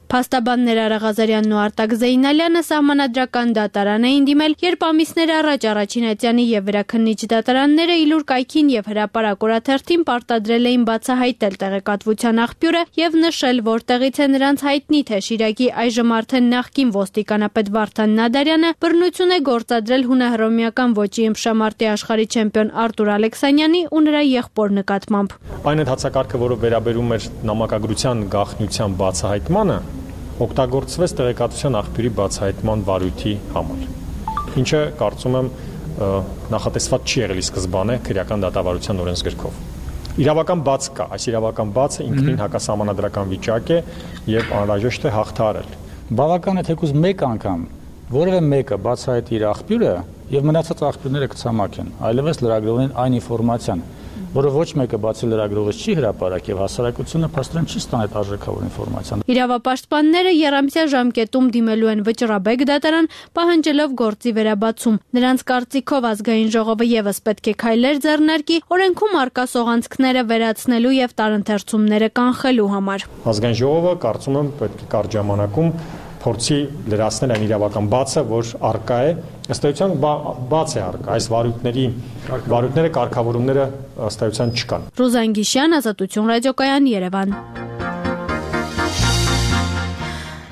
Փաստաբաններ Արա Ղազարյանն ու Արտակ Զեյնալյանը սահմանադրական դատարան էին դիմել, երբ ամիսներ առաջ Առաջին Այծյանի եւ Վերաքննիչ դատարանները իլուր կայքին եւ հրապարակ օրաթերթին պարտադրել էին բացահայտել տեղեկատվության աղբյուրը եւ նշել, որտեղից է նրանց հայտնի, թե Շիրակի այժմ արդեն նախկին ոստիկանապետ Վարդան Նադարյանը բռնություն է գործադրել հունահռոմեական ոճի ըմբշամարտի աշխարհի չեմպիոն Արտուր Ալեքսանյանի ու նրա եղբոր նկատմամբ։ Այն հացակարգը, որը վերաբերում էր նամակագրության գաղտնիության բացահայտմանը, օգտագործվեց տեղեկատվության աղբյուրի բացահայտման վարույթի համար, ինչը կարծում եմ նախատեսված չի եղել ի սկզբանե քրեական դատավարության օրենսգրքով։ Իրավական բաց կա, այս իրավական բացը ինքնին հակասահմանադրական վիճակ է եւ անհրաժեշտ է հաղթահարել։ Բավական է թեկուզ մեկ անգամ որևէ մեկը բացահայտի իր աղբյուրը եւ մնացած աղբյուրները կցամաքեն, այլևս լրագրողին այն ինֆորմացիան, որը ոչ մեկը բացի լրագրողից չի հրապարակ եւ հասարակությունը փաստորեն չի ստանա այդ արժեքավոր ինֆորմացիան։ Իրավապաշտպանները երամսյա ժամկետում դիմելու են վճռաբեկ դատարան, պահանջելով գործի վերաբացում։ Նրանց կարծիքով ազգային ժողովը եւս պետք է քայլեր ձեռնարկի օրենքում արկա սողանցքները վերացնելու եւ տարընթերցումները կանխելու համար։ Ազգային ժողովը կարծում եմ պետք է կարճ ժամանակում փորձի լրացնել այն իրավական բացը, որ արկա է, ըստ էության բաց է արկա, այս վարույթները, կարգավորումները ըստ էության չկան։ Ռուզան Գիշյան, Ազատություն ռադիոկայան, Երևան։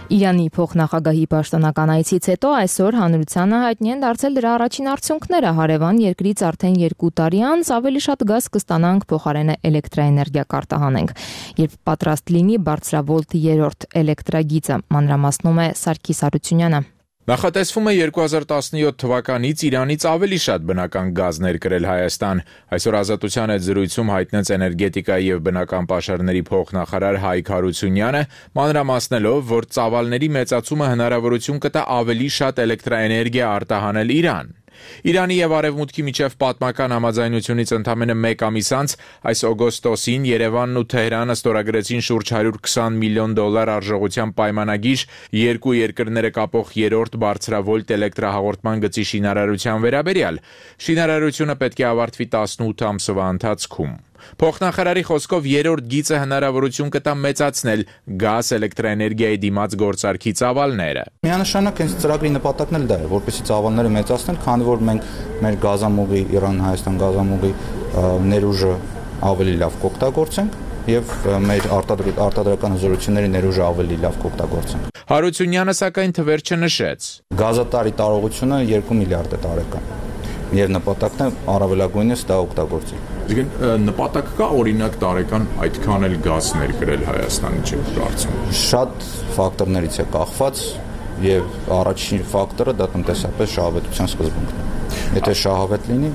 Իրանի փոխնախագահի պաշտոնական այցից հետո այսօր հանրությանը հայտնի են դարձել դրա առաջին արդյունքները։ Հարևան երկրից արդեն 2 տարի անց ավելի շատ գազ կստանանք, փոխարենը էլեկտրաէներգիա կարտահանենք, երբ պատրաստ լինի բարձրավոլտ 3-րդ էլեկտրագիծը, մանրամասնում է Սարգիս Հարությունյանը։ Նախատեսվում է 2017 թվականից Իրանից ավելի շատ բնական գազ ներկրել Հայաստան։ Այսօր Ազատության հետ զրույցում հայտնեց էներգետիկայի եւ բնական պաշարների փոխնախարար Հայկ Հարությունյանը, մանրամասնելով, որ ծավալների մեծացումը հնարավորություն կտա ավելի շատ էլեկտրաէներգիա արտահանել Իրան։ Իրանի եւ Արևմուտքի միջև պատմական համաձայնությունից ընդամենը 1 ամիս անց այս օգոստոսին Երևանն ու Թեհրանը ստորագրեցին շուրջ $120 միլիոն արժողությամբ պայմանագիր երկու երկրները կապող 3-րդ բարձրավոլտ էլեկտրահաղորդման գծի շինարարության վերաբերյալ։ Շինարարությունը պետք է ավարտվի 18 ամսվա ընթացքում։ Փոխնախարարի խոսքով 3-րդ գիծը հնարավորություն կտա մեծացնել գազ էլեկտրաէներգիայի դիմաց գործարքի ծավալները։ Միանշանակ այս ծրագրի նպատակն էլ դա է, որպեսզի ծավալները մեծացնել, քանի որ մենք մեր գազամուղի, Իրան-Հայաստան գազամուղի ներուժը ավելի լավ կօգտագործենք եւ մեր արտադրական հզորությունների ներուժը ավելի լավ կօգտագործենք։ Հարությունյանը սակայն թվեր չնշեց։ Գազատարի տարողությունը 2 միլիարդ է տարեկան։ Եվ նպատակն է առավելագույնս դա օգտագործել։ Իսկ նպատակ կա օրինակ տարեկան այդքան էլ գազ ներկրել Հայաստանի չի կարծում։ Շատ ֆակտորներից է կախված եւ առաջին ֆակտորը դա տնտեսապես շահավետության սկզբունքն է։ Եթե շահավետ լինի,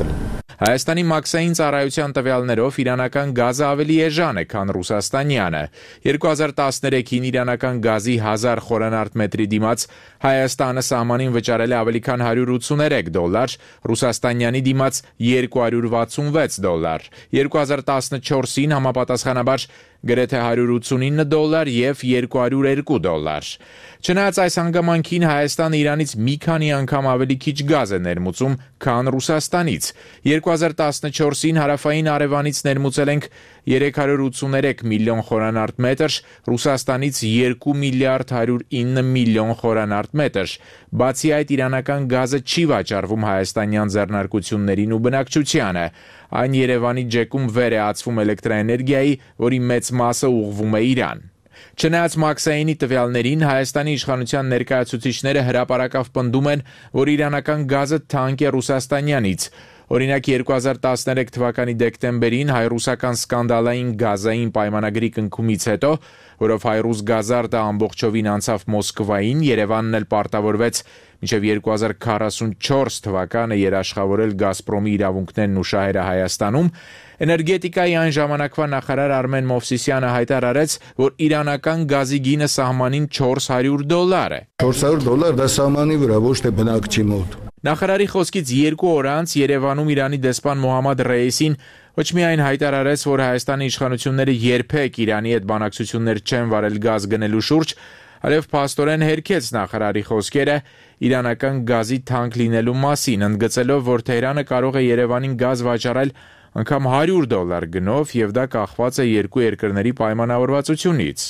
կլինի։ Հայաստանի մաքսային ծառայության տվյալներով իրանական գազը ավելի էժան է, քան ռուսաստանյանը։ 2013-ին իրանական գազի 1000 խորանարդ մետրի դիմաց Հայաստանը սահմանին վճարել է ավելի քան $183, Ռուսաստանյանի դիմաց $266։ 2014-ին համապատասխանաբար գրեթե $189 եւ $202։ Չնայած այս հանգամանքին Հայաստանը Իրանից մի քանի անգամ ավելի քիչ գազ է ներմուծում, քան Ռուսաստանից։ 2014-ին հարավային Արևանից ներմուծել ենք 383 միլիոն խորանարդ մետր, Ռուսաստանից 2 միլիարդ 109 միլիոն խորանարդ մետր։ Բացի այդ, իրանական գազը չի վաճառվում հայաստանյան ձեռնարկություններին ու բնակչությանը։ Այն Երևանի ջեկում վեր է ածվում էլեկտրաէներգիայի, որի մեծ մասը ուղղվում է Իրան։ Չնայած մաքսայինի տվյալներին, Հայաստանի իշխանության ներկայացուցիչները հրապարակավ պնդում են, որ իրանական գազը թանկ է ռուսաստանյանից։ Օրինակ 2013 թվականի դեկտեմբերին հայ-ռուսական սկանդալային գազային պայմանագրի կնքումից հետո, որով հայ-ռուս գազարդը ամբողջովին անցավ Մոսկվային, Երևանն էլ պարտավորվեց մինչև 2044 թվականը երաշխավորել Գազպրոմի իրավունքներն ու շահերը Հայաստանում, էներգետիկայի այն ժամանակվա նախարար Արմեն Մովսիսյանը հայտարարեց, որ իրանական գազի գինը սահմանին $400 է։ $400 դա սահմանի վրա, ոչ թե բնակչի մոտ։ Նախարարի խոսքից 2 օր անց Երևանում Իրանի դեսպան Մոհամմադ Ռեյիսին ոչ միայն հայտարարեց, որ Հայաստանի իշխանությունները երբեք Իրանի հետ բանակցություններ չեն վարել գազ գնելու շուրջ, այլև փաստորեն հերքեց նախարարի խոսքերը իրանական գազի թանկ լինելու մասին, ընդգծելով, որ Թեհրանը կարող է Երևանին գազ վաճառել անգամ $100 գնով եւ դա կախված է երկու երկրների պայմանավորվածությունից։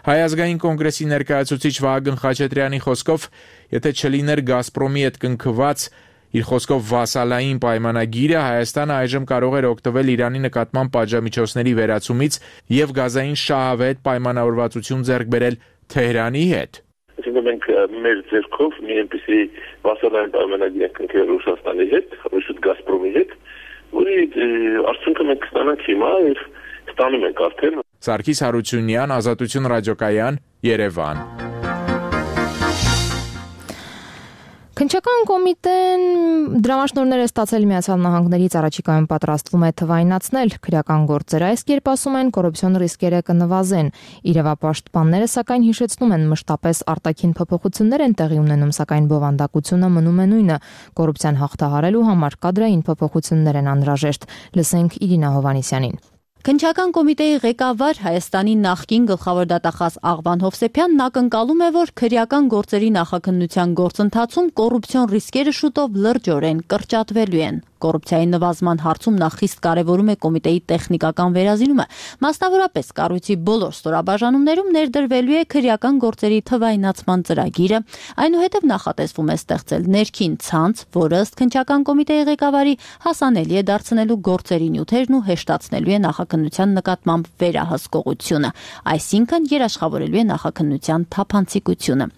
Հայ ազգային կոնգրեսի ներկայացուցիչ Վահագն Խաչատրյանի խոսքով, եթե չլիներ Գազպրոմի հետ կնքված իր խոսքով վասալային պայմանագիրը, Հայաստանը այժմ կարող էր օգտվել Իրանի նկատմամբ պատժամիջոցների վերացումից եւ գազային շահավետ պայմանավորվածություն ձեռք բերել Թեհրանի հետ։ Այսինքն մենք մեր ձեռքով մի այնպիսի վասալային պայմանագիր ենք կնքել Ռուսաստանի հետ, ռուսուտ Գազպրոմի հետ, որի արդյունքը մենք ստանանք հիմա եւ ստանում ենք արդեն։ Սարգիս Հարությունյան, Ազատություն ռադիոկայան, Երևան։ Քննչական կոմիտեն դրամաշնորհներ է ստացել Միացյալ Նահանգներից առաջիկայում պատրաստվում է թվայնացնել քրեական գործերը, այս կերպ ասում են կոռուպցիոն ռիսկերը կնվազեն։ Իրավապաշտպանները սակայն հիշեցնում են մշտապես արտաքին փոփոխություններ են տեղի ունենում, սակայն բովանդակությունը մնում է նույնը։ Կոռուպցիան հաղթահարելու համար կադրային փոփոխություններ են անհրաժեշտ։ Լսենք Իրինա Հովհաննիսյանին։ Քննչական կոմիտեի ղեկավար Հայաստանի նախկին գլխավոր դատախազ Աղվան Հովսեփյանն ակնկալում է, որ քրեական գործերի նախաքննության գործընթացում կոռուպցիոն ռիսկերը շուտով լրջորեն կրճատվելու են։ Կոռուպցիայի նվազման հարցում նա խիստ կարևորում է կոմիտեի տեխնիկական վերազինումը, մասնավորապես կառույցի բոլոր ստորաբաժանումներում ներդրվելու է քրեական գործերի թվայնացման ծրագիրը, այնուհետև նախատեսվում է ստեղծել ներքին ցանց, որը ըստ քննչական կոմիտեի ղեկավարի հասանելի է դարձնելու գործերի նյութերն ու հեշտացնելու է նախաքննության նկատմամբ վերահսկողությունը, այսինքն երաշխավորելու է նախաքննության թափանցիկությունը։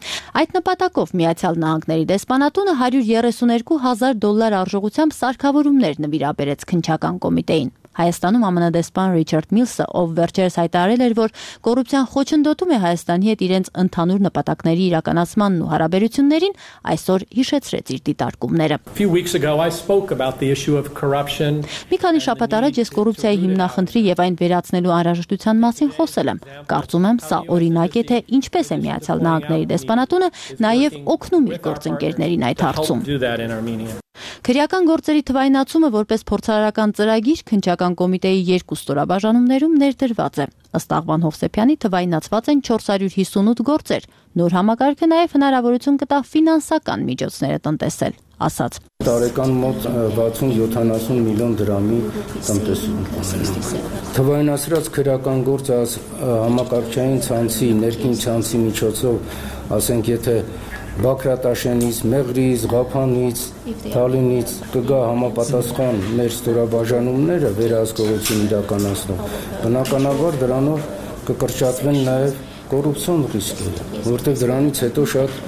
Այդ նպատակով Միացյալ Նահանգների դեսպանատունը $132,000 արժողությամբ սարքավորումներ նվիրաբերեց քննչական կոմիտեին։ Հայաստանում ԱՄՆ դեսպան Ռիչարդ Միլսը, ով վերջերս հայտարարել էր, որ կոռուպցիան խոչընդոտում է Հայաստանի հետ իրենց ընդհանուր նպատակների իրականացմանն ու հարաբերություններին, այսօր հիշեցրեց իր դիտարկումները։ Մի քանի շաբաթ առաջ ես կոռուպցիայի հիմնախնդրի եւ այն վերացնելու անհրաժեշտության մասին խոսել եմ։ Կարծում եմ, սա օրինակ է, թե ինչպես է Միացյալ Նահանգների դեսպանատունը նաեւ օգնում իր գործընկերներին այդ հարցում։ Քրեական գործերի թվայնացումը որպես փորձարարական ծրագիր քննչական կոմիտեի երկու ստորաբաժանումներում ներդրված է։ Ըստ Աղվան Հովսեփյանի թվայնացված են 458 գործեր։ Նոր համակարգը նաև հնարավորություն կտա ֆինանսական միջոցները տնտեսել, ասաց։ Տարեկան մոտ 60-70 միլիոն դրամի տնտեսություն։ Թվայնացրած քրեական գործը համակարգչային ցանցի, ներքին ցանցի միջոցով, ասենք եթե Բաքրատաշենից, Մեղրից, Ղափանից, Թալինից կգա համապատասխան մեր ստորաբաժանումները վերահսկողություն իրականացնող, բնականաբար դրանով կկրճատվեն նաև կոռուպցիոն ռիսկերը, որտեղ դրանից հետո շատ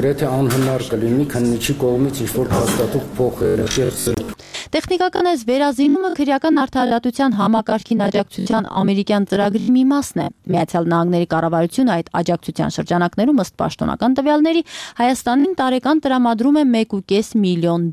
գրեթե անհնար կլինի քննիչի կողմից ինչ-որ հաստատող փոխել։ Տեխնիկական այս վերազինումը քրեական արդարադատության համակարգին աջակցության ամերիկյան ծրագրի մի մասն է։ Միացյալ Նահանգների կառավարությունը այդ աջակցության շրջանակներում ըստ պաշտոնական տվյալների Հայաստանին տարեկան տրամադրում է $1.5 միլիոն։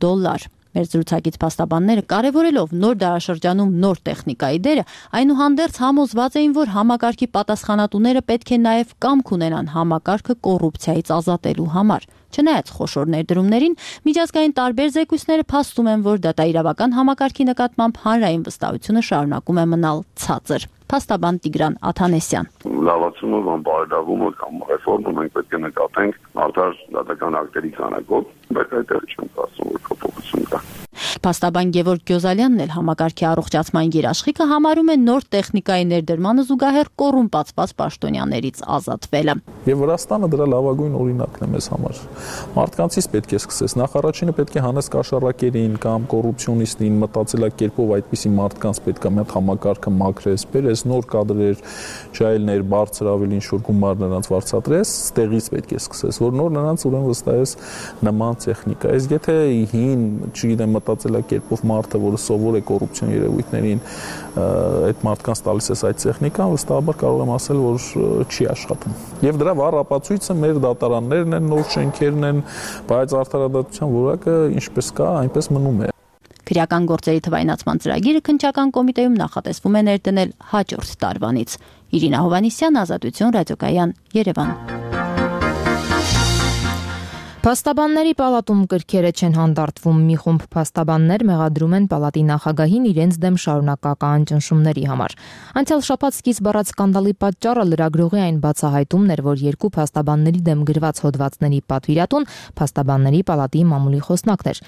Մեր զրուցակից փաստաբանները կարևորելով նոր դարաշրջանում նոր տեխնիկայի դերը, այնուհանդերձ համոզված էին, որ համակարգի պատասխանատուները պետք է նաև կամք ունենան համակարգը կոռուպցիայից ազատելու համար։ Չնայած խոշոր ներդրումներին, միջազգային տարբեր զեկույցները փաստում են, որ դատաիրավական համակարգի նկատմամբ հանրային վստահությունը շարունակում է մնալ ցածր։ Փաստաբան Տիգրան Աթանեսյան։ Լավացումը կամ բարելավումը կամ ռեֆորմը մենք պետք է նկատենք արդար դատական ակտերի քանակով բայց այդտեղ չեմ ասում, որ փոփոխություն կա։ Փաստաբան Գևորգ Գյոզալյանն էլ համակարգի առողջացման երաշխիքը համարում է նոր տեխնիկայի ներդրմանը զուգահեռ կոռումպացված պաշտոնյաներից ազատվելը։ Եվ Վրաստանը դրա լավագույն օրինակն է մեզ համար։ Մարդկանցից պետք է սկսես։ Նախ առաջինը պետք է հանես կաշառակերին կամ կոռուպցիոնիստին մտածելակերպով այդպիսի մարդկանց պետք է մի հատ համակարգը մաքրես, բերես նոր կադրեր, ջայլներ, բարձր ավելի ինչ-որ գումար նրանց վարձատրես, ստեղից պետք է սկսես, որ նոր նրանց ուրեմն վստահես նման տեխնիկա։ Իսկ եթե հին, չգիտեմ, մտածելակերպով մարդը, որը սովոր է կոռուպցիոն երևույթներին, այդ մարդկանց տալիս է այդ տեխնիկան, վստահաբար կարող եմ ասել, որ չի աշխատում։ Եվ դրա վառ ապացույցը մեր դատարաններն են, նոր շենքերն են, բայց արդարադատության որակը ինչպես կա, այնպես մնում է։ Քրեական գործերի թվայնացման ծրագիրը քննչական կոմիտեում նախատեսվում է ներդնել հաջորդ տարվանից։ Իրինա Հովհաննիսյան, Ազատություն, Ռադիոկայան, Երևան։ Փաստաբանների պալատում կրքերը չեն հանդարտվում։ Մի խումբ փաստաբաններ մեղադրում են պալատի նախագահին իրենց դեմ շարունակական ճնշումների համար։ Անցյալ շաբաթ սկիզբ առած սկանդալի պատճառը լրագրողի այն բացահայտումն էր, որ երկու փաստաբանների դեմ գրված հոդվածների պատվիրատուն փաստաբանների պալատի մամուլի խոսնակն էր։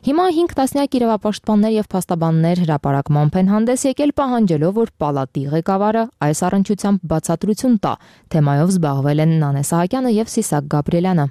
Հիմա 5 տասնյակ իրավապաշտպաններ եւ փաստաբաններ հրապարակմամբ են հանդես եկել պահանջելով, որ պալատի ղեկավարը այս առնչությամբ բացատրություն տա։ Թեմայով զբաղվել են Նանե Սահակյանը եւ Սիսակ Գաբրիելյանը։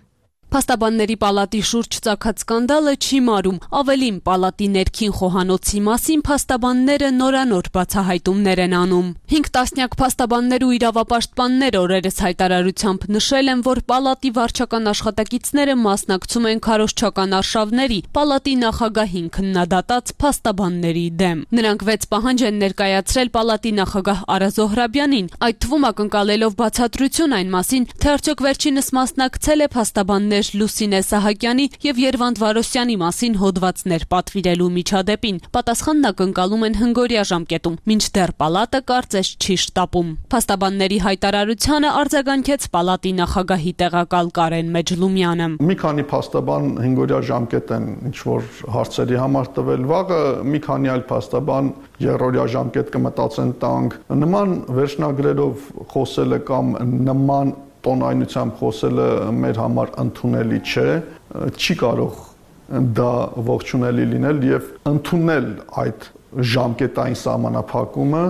Փաստաբանների պալատի շուրջ ծագած սկանդալը չի մարում, ավելին պալատի ներքին խոհանոցի մասին փաստաբանները նորանոր բացահայտումներ են անում։ 5 տասնյակ փաստաբաններ ու իրավապաշտպաններ օրերս հայտարարությամբ նշել են, որ պալատի վարչական աշխատակիցները մասնակցում են քարոզչական արշավների պալատի նախագահին քննադատած փաստաբանների դեմ։ Նրանք 6 պահանջ են ներկայացրել պալատի նախագահ Արա Զոհրաբյանին, այդ թվում ակնկալելով բացատրություն այն մասին, թե արդյոք վերջինս մասնակցել է փաստաբաններ Լուսինե Սահակյանի եւ Երվանդ Վարոսյանի մասին հոդվածներ պատվիրելու միջադեպին։ Պատասխանն ակնկալում են հնգօրյա ժամկետում, մինչդեռ պալատը կարծես չի շտապում։ Փաստաբանների հայտարարությանը արձագանքեց պալատի նախագահի տեղակալ Կարեն Մեջլումյանը։ Մի քանի փաստաբան հնգօրյա ժամկետ են ինչ-որ հարցերի համար տվել, վաղը մի քանի այլ փաստաբան երրորդյա ժամկետ կմտածեն տանք։ Նման վերջնագրերով խոսելը կամ նման տոնայնությամբ խոսելը մեր համար ընդունելի չէ, չի կարող դա ողջունելի լինել եւ ընդունել այդ ժամկետային սահմանափակումը։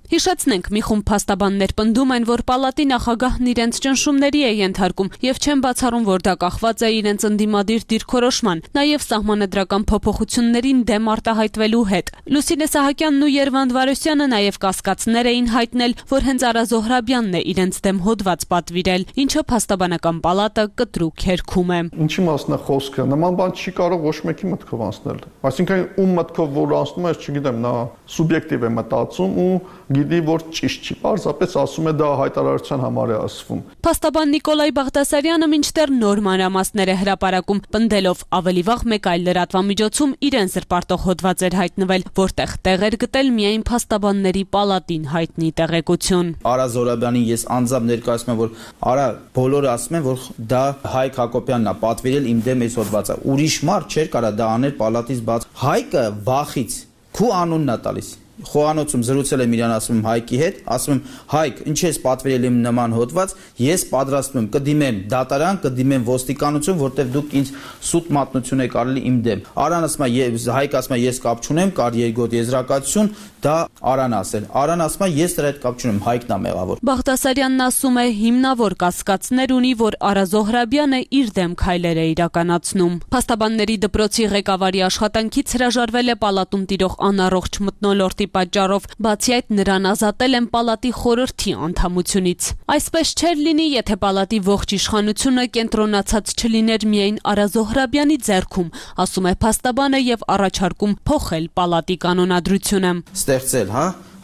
Հիշեցնենք, մի խումբ փաստաբաններ պնդում են, որ պալատի նախագահն իրենց ճնշումների է ենթարկում եւ չեն բացառում, որ դա կախված է իրենց ընդդիմադիր դիրքորոշման, նաեւ սահմանադրական փոփոխություններին դեմ արտահայտվելու հետ։ Լուսինե Սահակյանն ու Երվանդ Վարոսյանը նաեւ կասկածներ էին հայտնել, որ հենց Արա Զոհրաբյանն է իրենց դեմ հոդված պատվիրել, ինչը փաստաբանական պալատը կտրուկ հերքում է։ Ինչի մասն է խոսքը, նման բան չի կարող ոչ մեկի մտքով անցնել։ Այսինքն ում մտքով որ անցնում է, չգիտեմ, նա սուբյեկտիվ է մտածում ու գիտի, որ ճիշտ չի, պարզապես ասում է դա հայտարարության համար է ասվում։ Փաստաբան Նիկոլայ Բաղդասարյանը մինչդեռ նոր մանրամասներ է հրապարակում, պնդելով ավելի վաղ մեկ այլ լրատվամիջոցում իրեն զրպարտող հոդված էր հայտնվել, որտեղ տեղ էր գտել միայն փաստաբանների պալատին հայտնի տեղեկություն։ Արա Զոհրաբյանին ես անձամբ ներկայացնում եմ, որ Արա բոլորը ասում են, որ դա Հայկ Հակոբյանն է պատվիրել իմ դեմ այս հոդվածը։ Ուրիշ մարդ չէր կարա դա անել պալատից բաց։ Հայկը վախից քու անունն է տալիս։ Խոհանոցում զրուցել եմ իրան, ասում եմ Հայկի հետ, ասում եմ Հայկ, ինչ ես պատվիրել իմ նման հոդված, ես պատրաստվում եմ կդիմեմ դատարան, կդիմեմ ոստիկանություն, որտեղ դուք ինձ սուտ մատնություն եք արել իմ դեմ։ Արան ասում է, Հայկ ասում է, ես կապ չունեմ, կար երկրորդ եզրակացություն, դա Արան ասել։ Արան ասում է, ես դրա հետ կապ չունեմ, Հայկն է մեղավոր։ Բաղդասարյանն ասում է, հիմնավոր կասկածներ ունի, որ Արա Զոհրաբյանը իր դեմ քայլեր է իրականացնում։ Փաստաբանների դպրոցի ղեկավարի աշխատանքից հրաժարվել է պալատում տիրող անառողջ մթնոլորտի պատճառով, բացի այդ նրան ազատել են պալատի խորհրդի անդամությունից։ Այսպես չէր լինի, եթե պալատի ողջ իշխանությունը կենտրոնացած չլիներ միայն Արա Զոհրաբյանի ձեռքում, ասում է փաստաբանը եւ առաջարկում փոխել պալատի կանոնադրությունը։ Ստեղծել,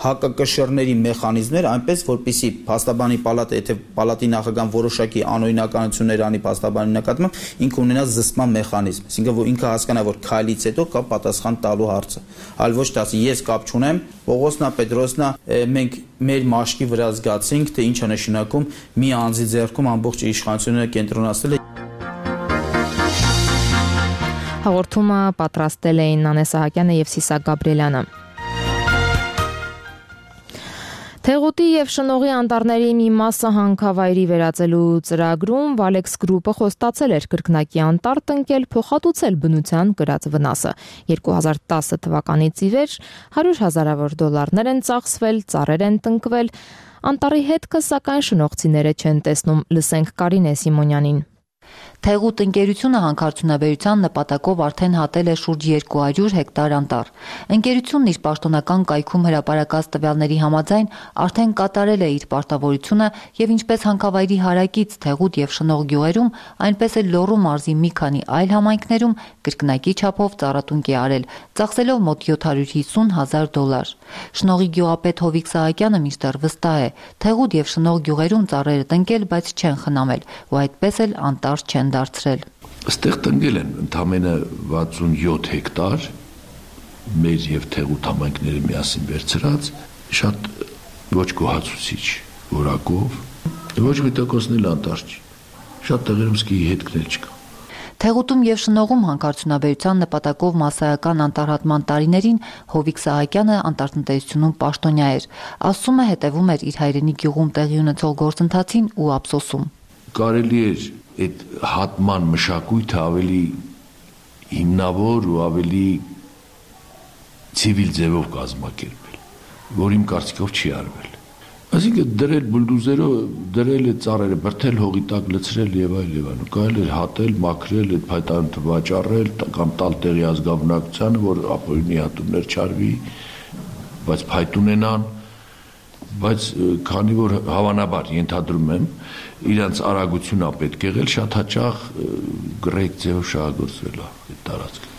հակակշռների մեխանիզմներ, այնպես որպեսզի փաստաբանի պալատը, եթե պալատի նախագահան որոշակի անօրինականություններ անի փաստաբանի նկատմամբ, ինքը ունենա զսպման մեխանիզմ, այսինքն որ ինքը հասկանա, որ քայլից հետո կա պատասխան տալու հարցը, այլ ոչ թե ասի ես կապ չունեմ, Պողոսնա Պետրոսնա, մենք մեր մաշկի վրա զգացինք, թե ինչ է նշանակում մի անձի ձեռքում ամբողջ իշխանությունը կենտրոնացնել է։ Հաղորդումը պատրաստել էին Նանե Սահակյանը եւ Սիսակ Գաբրիելյանը։ Թեղուտի եւ շնողի անտառների մի մասը հանքավայրի վերածելու ծրագրում Valex Group-ը խոստացել էր կրկնակի անտառ տնկել, փոխհատուցել բնության կրած վնասը։ 2010 թվականից ի վեր $100,000 են ծախսվել, ծառեր են տնկվել։ Անտառի հետքը սակայն շնողցիները չեն տեսնում, լսենք Կարինե Սիմոնյանին։ Թեղուտ ընկերությունը հանքարդյունաբերության նպատակով արդեն հատել է շուրջ 200 հեկտար անտառ։ Ընկերությունն իր պաշտոնական կայքում հրապարակած տվյալների համաձայն արդեն կատարել է իր պարտավորությունը եւ ինչպես հանքավայրի հարակից Թեղուտ եւ Շնող գյուղերում, այնպես էլ Լոռու մարզի մի քանի այլ համայնքներում կրկնակի չափով ծառատունկ է արել, ծախսելով մոտ $750,000։ Շնողի գյուղապետ Հովիկ Սահակյանը մինչդեռ վստահ է, Թեղուտ եւ Շնող գյուղերում ծառերը տնկել, բայց չեն խնամել, ու այդպես էլ անտառ չեն դարձրել։ Այստեղ տնկել են ընդամենը 67 հեկտար մեր եւ Թեղուտ համայնքները միասին վերցրած, շատ ոչ գոհացուցիչ որակով, ոչ մի տոկոսն էլ անտառ չի։ Շատ տեղերում սկի հետքներ չկա։ Թեղուտում եւ Շնողում հանքարդյունաբերության նպատակով մասսայական անտառհատման տարիներին Հովիկ Սահակյանը անտառտնտեսությունում պաշտոնյա էր։ Ասում է, հետևում էր իր հայրենի գյուղում տեղի ունեցող գործընթացին ու ափսոսում։ Կարելի էր այդ հատման մշակույթը ավելի հիմնավոր ու ավելի ցիվիլ ձևով կազմակերպել, որ իմ կարծիքով չի արվել։ Այսինքն դրել բուլդոզերով, դրել է ծառերը, բրդել հողի տակ լցրել եւ այլ, կարելի է հատել, մաքրել, այդ փայտանյութը վաճառել կամ տալ տեղի ազգաբնակությանը, որ ապօրինի հատումներ չարվի, բայց փայտ ունենան, բայց քանի որ հավանաբար ենթադրում եմ, իրանց արագությունն պետք է եղել, շատ հաճախ գրեկ ձևով շահագործվել է այդ տարածքը։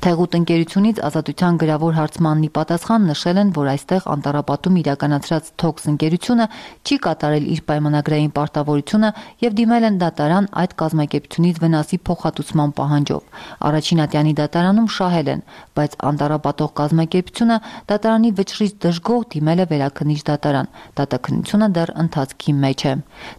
Թեղուտ ընկերությունից Ազատության գրավոր հարցմանն ի պատասխան նշել են, որ այստեղ անտառապատում իրականացրած Թոքս ընկերությունը չի կատարել իր պայմանագրային պարտավորությունը եւ դիմել են դատարան այդ կազմակերպությունից վնասի փոխհատուցման պահանջով։ Առաջին ատյանի դատարանում շահել են, բայց անտառապատող կազմակերպությունը դատարանի վճռից դժգոհ դիմել է վերաքննիչ դատարան։ Դատաքննությունը դեռ ընթացքի մեջ է։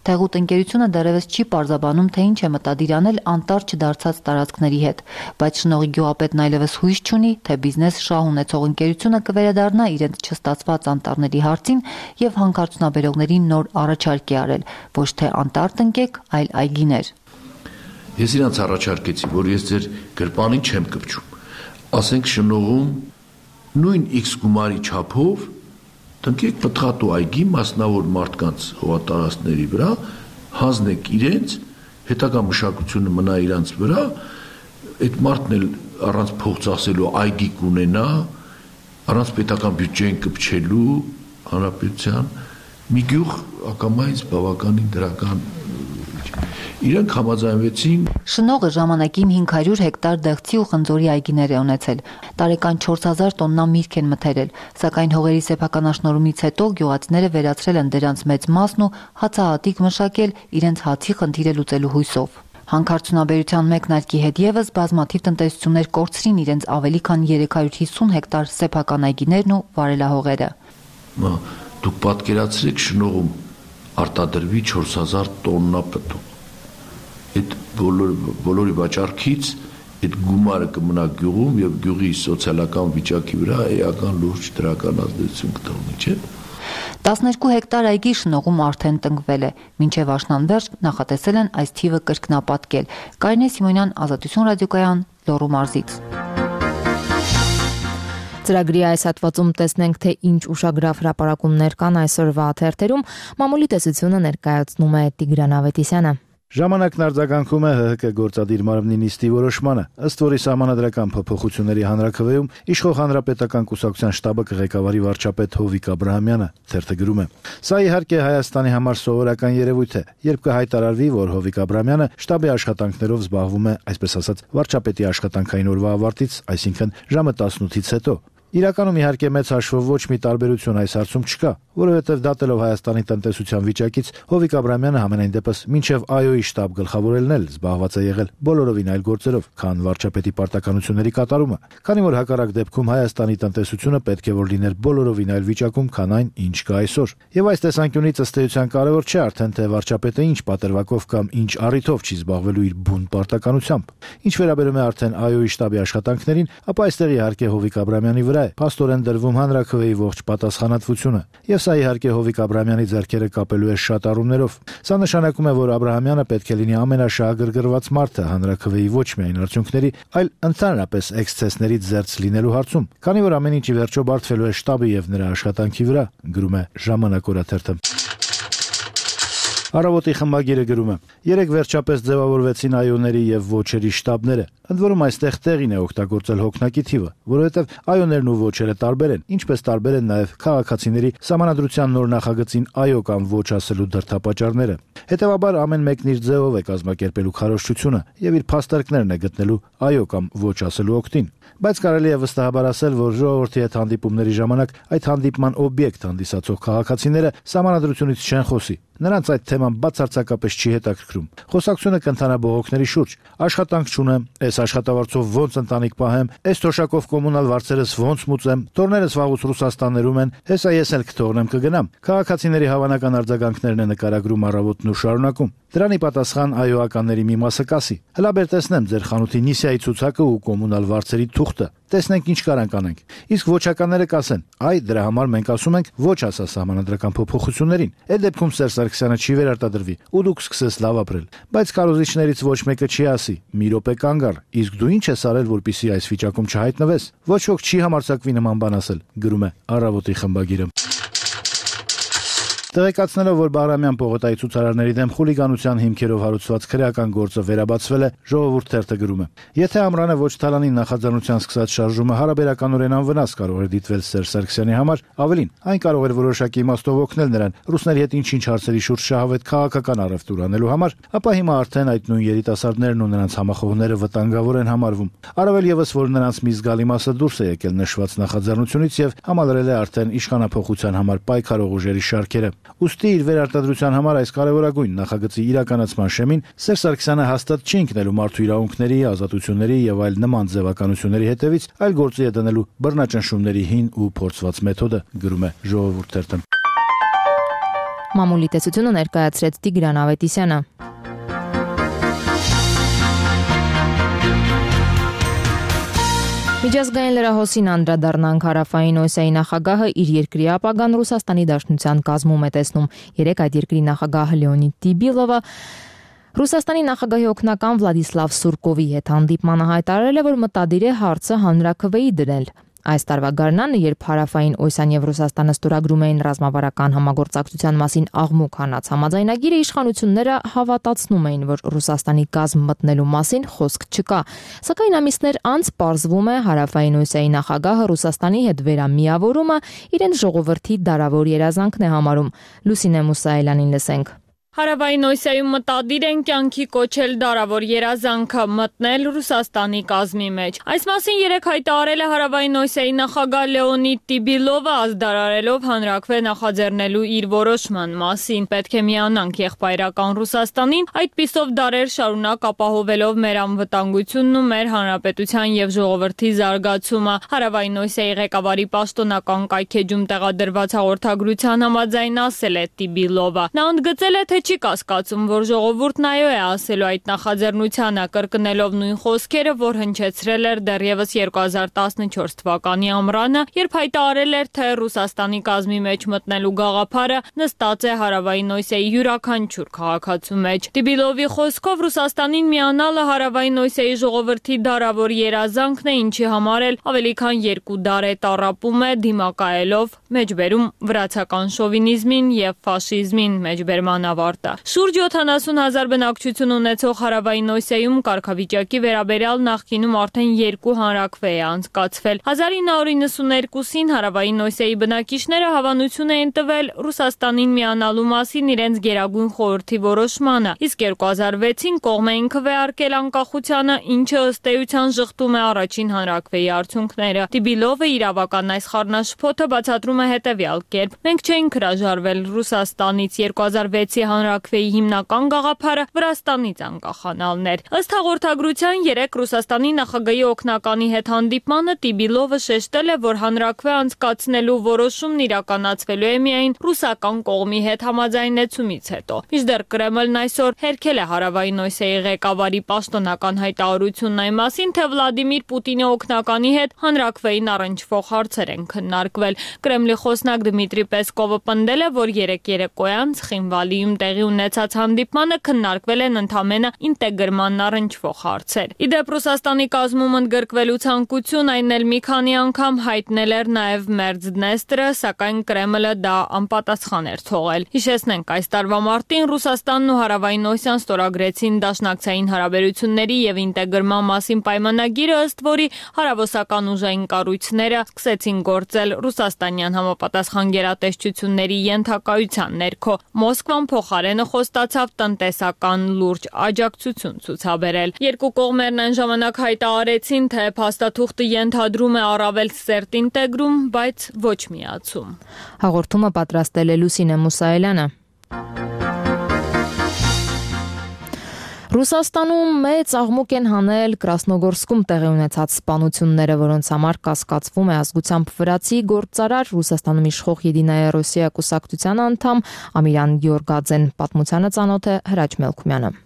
Թեղուտ ընկերությունը դեռևս չի պարզաբանում, թե ինչ է մտադիր անել անտառ չդարձած տարածքների հետ, բայց Շնողի գյուղապետն այլևս հույս չունի, թե բիզնես շահ ունեցող ընկերությունը կվերադառնա իրենց չստացված անտառների հարցին եւ հանքարդյունաբերողներին նոր առաջարկ է արել, ոչ թե անտառ տնկեք, այլ այգիներ։ Ես իրանց առաջարկեցի, որ ես ձեր գրպանին չեմ կպչում։ Ասենք Շնողում նույն X գումարի չափով տնկեք պտղատու այգի մասնավոր մարդկանց հողատարածքների վրա, հանձնեք իրենց, հետագա մշակությունը մնա իրանց վրա, այդ մարդն էլ առանց փող ծախսելու այգի կունենա, առանց պետական բյուջեին կպչելու հանրապետության մի գյուղ ակամայից բավականին դրական Իրանք համաձայնվեցին։ Շնողը ժամանակին 500 հեկտար դեղցի ու խնձորի այգիներ է ունեցել։ Տարեկան 4000 տոննա միրգ են մթերել, սակայն հողերի սեփականաշնորհումից հետո գյուղացիները վերացրել են դրանց մեծ մասն ու հացահատիկ մշակել իրենց հացի խնդիրը լուծելու հույսով։ Հանքարդյունաբերության մեկնարկի հետ եւս բազմաթիվ տնտեսություններ կորցրին իրենց ավելի քան 350 հեկտար սեփական այգիներն ու վարելահողերը։ Դուք պատկերացրեք Շնողում արտադրվի 4000 տոննա պտուղ։ Այդ բոլորի վաճառքից այդ գումարը կմնա գյուղում եւ գյուղի սոցիալական վիճակի վրա էական լուրջ դրական ազդեցություն կտողնի, չէ՞։ 12 հեկտար այգի Շնողում արդեն տնկվել է, մինչև աշնանվերջ նախատեսել են այս թիվը կրկնապատկել։ Կարինե Սիմոնյան, Ազատություն ռադիոկայան, Լոռու մարզից։ Ծրագրի այս հատվածում տեսնենք, թե ինչ ուշագրավ հրապարակումներ կան այսօրվա թերթերում։ Մամուլի տեսությունը ներկայացնում է Տիգրան Ավետիսյանը։ Ժամանակն արձագանքում է ՀՀԿ գործադիր մարմնի նիստի որոշմանը, ըստ որի սահմանադրական փոփոխությունների հանրաքվեում իշխող հանրապետական կուսակցության շտաբը կղեկավարի վարչապետ Հովիկ Աբրահամյանը, թերթը գրում է. Սա իհարկե Հայաստանի համար սովորական երևույթ է, երբ կհայտարարվի, որ Հովիկ Աբրահամյանը շտաբի աշխատանքներով զբաղվում է, այսպես ասած, վարչապետի աշխատանքային օրվա ավարտից, այսինքն ժամը 18-ից հետո։ Իրականում իհարկե մեծ հաշվով ոչ մի տարբերություն այս հարցում չկա, որովհետև դատելով Հայաստանի տնտեսության վիճակից Հովիկ Աբրահամյանը համենայն դեպս մինչև ԱՅՈ-ի շտաբ գլխավորելն էլ զբաղված է եղել բոլորովին այլ գործերով, քան վարչապետի պարտականությունների կատարումը, քանի որ հակառակ դեպքում Հայաստանի տնտեսությունը պետք է որ լիներ բոլորովին այլ վիճակում, քան այն, ինչ կա այսօր։ Եվ այս տեսանկյունից ըստ էության կարևոր չէ արդեն թե վարչապետը ինչ պատրվակով կամ ինչ առիթով չի զբաղվելու իր բուն պարտականությամբ։ Ինչ վերաբերում է արդեն ԱՅՈ-ի շտաբի աշխատանքներին, ապա այստեղ իհարկե Հովիկ Աբրահամյանի վրա վրա է փաստորեն դրվում հանրաքվեի ողջ պատասխանատվությունը, եւ սա իհարկե Հովիկ Աբրահամյանի ձեռքերը կապելու է շատ առումներով։ Սա նշանակում է, որ Աբրահամյանը պետք է լինի ամենաշահագրգռված մարդը հանրաքվեի ոչ միայն արդյունքների, այլ ընդհանրապես էքսցեսներից զերծ լինելու հարցում, քանի որ ամեն ինչ ի վերջո բարդվելու է շտաբի եւ նրա աշխատանքի վրա, գրում է Ժամանակ օրաթերթը։ Առավոտի խմբագիրը գրում է. երեք վերջապես ձևավորվեցին այոների եւ ոչերի շտաբները։ Ընդ որում այստեղ տեղին է օգտագործել հոգնակի թիվը, որովհետեւ այոներն ու ոչերը տարբեր են, ինչպես տարբեր են նաեւ քաղաքացիների սահմանադրության նոր նախագծին այո կամ ոչ ասելու դրդապատճառները։ Հետևաբար ամեն մեկն իր ձևով է կազմակերպելու քարոզչությունը եւ իր փաստարկներն է գտնելու այո կամ ոչ ասելու օգտին։ Բայց կարելի է վստահաբար ասել, որ ժողովրդի հետ հանդիպումների ժամանակ այդ հանդիպման օբյեկտ հանդիսացող քաղաքացիները սահմանադրությունից չեն խոսի։ Նրանց այդ թեման բացարձակապես չի հետաքրքրում։ Խոսակցությունը կընթանա բողոքների շուրջ։ Աշխատանք չունեմ, այս աշխատավարձով ոնց ընտանիք պահեմ, այս թոշակով կոմունալ վարձերս ոնց մուծեմ, տորներս վաղուց Ռուսաստաններում են, հեսա ես էլ կթողնեմ կգնամ։ Քաղաքացիների հավանական արձագանքներն է նկարագրում առավոտն ու շարունակում։ Դրանի պատասխան այոականների մի մասը կասի. հլա բեր տեսնեմ ձեր խանութի նիսիայի ցուցակը ու կոմունալ վարձերի թուղթը։ Տեսնենք ինչ կարանք անենք։ Իսկ ոչականները կասեն. այ դրա համար մենք ասում ենք ոչ ասա սահմանադրական փոփոխություններին։ Այդ դեպքում Սերժ Սարգսյանը չի վերարտադրվի ու դուք սկսես լավ ապրել։ Բայց քարոզիչներից ոչ մեկը չի ասի. մի րոպե կանգ առ, իսկ դու ինչ ես արել, որպեսզի այս վիճակում չհայտնվես։ Ոչ ոք չի համարձակվի նման բան ասել, գրում է Առավոտի խմբագիրը։ Տեղեկացնելով, որ Բաղրամյան պողոտայի ցուցարարների դեմ խուլիգանության հիմքերով հարուցված քրեական գործը վերաբացվել է, Ժողովուրդ թերթը գրում է. եթե Ամրանը ոչ Թալանին նախաձեռնության սկսած շարժումը հարաբերականորեն անվնաս կարող էր դիտվել Սերժ Սարգսյանի համար, ավելին, այն կարող էր որոշակի իմաստով օգնել նրան ռուսների հետ ինչ-ինչ հարցերի շուրջ շահավետ քաղաքական առևտուր անելու համար, ապա հիմա արդեն այդ նույն երիտասարդներն ու նրանց համախոհները վտանգավոր են համարվում։ Առավել եւս, որ նրանց մի զգալի մասը դուրս է եկել նշված նախաձեռնությունից եւ համալրել է արդեն իշխանափոխության համար պայքարող ուժերի շարքերը։ Ուստի իր վերարտադրության համար այս կարևորագույն նախագծի իրականացման շեմին Սերժ Սարգսյանը հաստատ չի ընկնելու մարդու իրավունքների, ազատությունների եւ այլ նման ձևականությունների հետևից, այլ գործի է դնելու բռնաճնշումների հին ու փորձված մեթոդը, գրում է Ժողովուրդ թերթը։ Մամուլի տեսությունը ներկայացրեց Տիգրան Ավետիսյանը։ Միջազգային լրահոսին անդրադառնանք Հարավային Օսիայի նախագահը իր երկրի ապագան Ռուսաստանի Դաշնության կազմում է տեսնում։ Երեկ այդ երկրի նախագահ Լեոնիդ Տիբիլովը Ռուսաստանի նախագահի օգնական Վլադիսլավ Սուրկովի հետ հանդիպմանը հայտարարել է, որ մտադիր է հարցը հանրաքվեի դնել։ Այս տարվա գարնանը, երբ Հարավային Օսիան եւ Ռուսաստանը ստորագրում էին ռազմավարական համագործակցության մասին աղմուկ հանած համաձայնագիրը, իշխանությունները հավատացնում էին, որ Ռուսաստանի կազմ մտնելու մասին խոսք չկա։ Սակայն ամիսներ անց պարզվում է, Հարավային Օսիայի նախագահը Ռուսաստանի հետ վերամիավորումը իրեն ժողովրդի դարավոր երազանքն է համարում։ Լուսինե Մուսայելյանին լսենք։ Հարավային Օսիայում մտադիր են կյանքի կոչել դարավոր երազանքը մտնել Ռուսաստանի կազմի մեջ։ Այս մասին երեկ հայտարարել է Հարավային Օսիայի նախագահ Լեոնիդ Տիբիլովը, ազդարարելով հանրաքվե նախաձեռնելու իր որոշման մասին։ Պետք է միանանք եղբայրական Ռուսաստանին, այդպիսով դարեր շարունակ ապահովելով մեր անվտանգությունն ու մեր հանրապետության եւ ժողովրդի զարգացումը։ Հարավային Օսիայի ղեկավարի պաշտոնական կայքեջում տեղադրված հաղորդագրության համաձայն ասել է Տիբիլովը։ Նա ընդգծել է, թե չի կասկածում, որ ժողովուրդն այո է ասելու այդ նախաձեռնությանը, կրկնելով նույն խոսքերը, որ հնչեցրել էր դեռևս 2014 թվականի ամռանը, երբ հայտարարել էր, թե Ռուսաստանի կազմի մեջ մտնելու գաղափարը նստած է Հարավային Օսիայի յուրաքանչյուր քաղաքացու մեջ։ Տիբիլովի խոսքով Ռուսաստանին միանալը Հարավային Օսիայի ժողովրդի դարավոր երազանքն է, ինչի համար էլ ավելի քան 2 դար է տառապում է դիմակայելով մեջբերում վրացական շովինիզմին եւ ֆաշիզմին մեջբերման ավարտը։ Շուրջ 70,000 բնակչություն ունեցող Հարավային Օսիայում կարգավիճակի վերաբերյալ նախկինում արդեն 2 հանրաքվե է անցկացվել։ 1992-ին Հարավային Օսիայի բնակիչները հավանություն էին տվել Ռուսաստանին միանալու մասին իրենց գերագույն խորհրդի որոշմանը, իսկ 2006-ին կողմ էին քվեարկել անկախությանը, ինչը ըստ էության ժխտում է առաջին հանրաքվեի արդյունքները։ Տիբիլովը իրավական այս խառնաշփոթը բացատրում է հետևյալ կերպ. մենք չէինք հրաժարվել Ռուսաստանից 2006-ի հանրաքվեի հիմնական գաղափարը Վրաստանից անկախանալն էր։ Ըստ հաղորդագրության 3 Ռուսաստանի նախագահի օգնականի հետ հանդիպմանը Տիբիլովը շեշտել է, որ հանրաքվե անցկացնելու որոշումն իրականացվելու է միայն ռուսական կողմի հետ համաձայնեցումից հետո։ Մինչդեռ Կրեմլն այսօր հերքել է Հարավային Օսիայի ղեկավարի պաշտոնական հայտարարությունն այն մասին, թե Վլադիմիր Պուտինի օգնականի հետ հանրաքվեին առնչվող հարցեր են քննարկվել։ Կրեմլի խոսնակ Դմիտրի Պեսկովը պնդել է, որ երեկոյան Ცხինվալիում տեղի ունեցած հանդիպմանը քննարկվել են ընդամենը ինտեգրմանն առնչվող հարցեր։ Իդեպ Ռուսաստանի կազմում ընդգրկվելու ցանկություն այն էլ մի քանի անգամ հայտնել էր նաև Մերձդնեստրը, սակայն Կրեմլը դա անպատասխան էր թողել։ Հիշեցնենք, այս տարվա մարտին Ռուսաստանն ու Հարավային Օսիան ստորագրեցին դաշնակցային հարաբերությունների եւ ինտեգրման մասին պայմանագիրը, ըստ որի հարավոսական ուժային կառույցները սկսեցին գործել ռուսաստանյան համապատասխան գերատեսչությունների ենթակայության ներքո։ Մոսկվան փոխարենը խոստացավ տնտեսական լուրջ աջակցություն ցուցաբերել։ Երկու կողմերն այն ժամանակ հայտարարեցին, թե փաստաթուղթը ենթադրում է առավել սերտ ինտեգրում, բայց ոչ միացում։ Հաղորդումը պատրաստել է Լուսինե Մուսայելյանը։ Ռուսաստանում մեծ աղմուկ են հանել Կրասնոգորսկում տեղի ունեցած սպանությունները, որոնց համար կասկածվում է ազգությամբ վրացի գործարար Ռուսաստանում իշխող Եդինայա Ռոսիա կուսակցության անդամ Ամիրան Գյորգաձեն։ Պատմությանը ծանոթ է Հրաչ Մելքումյանը։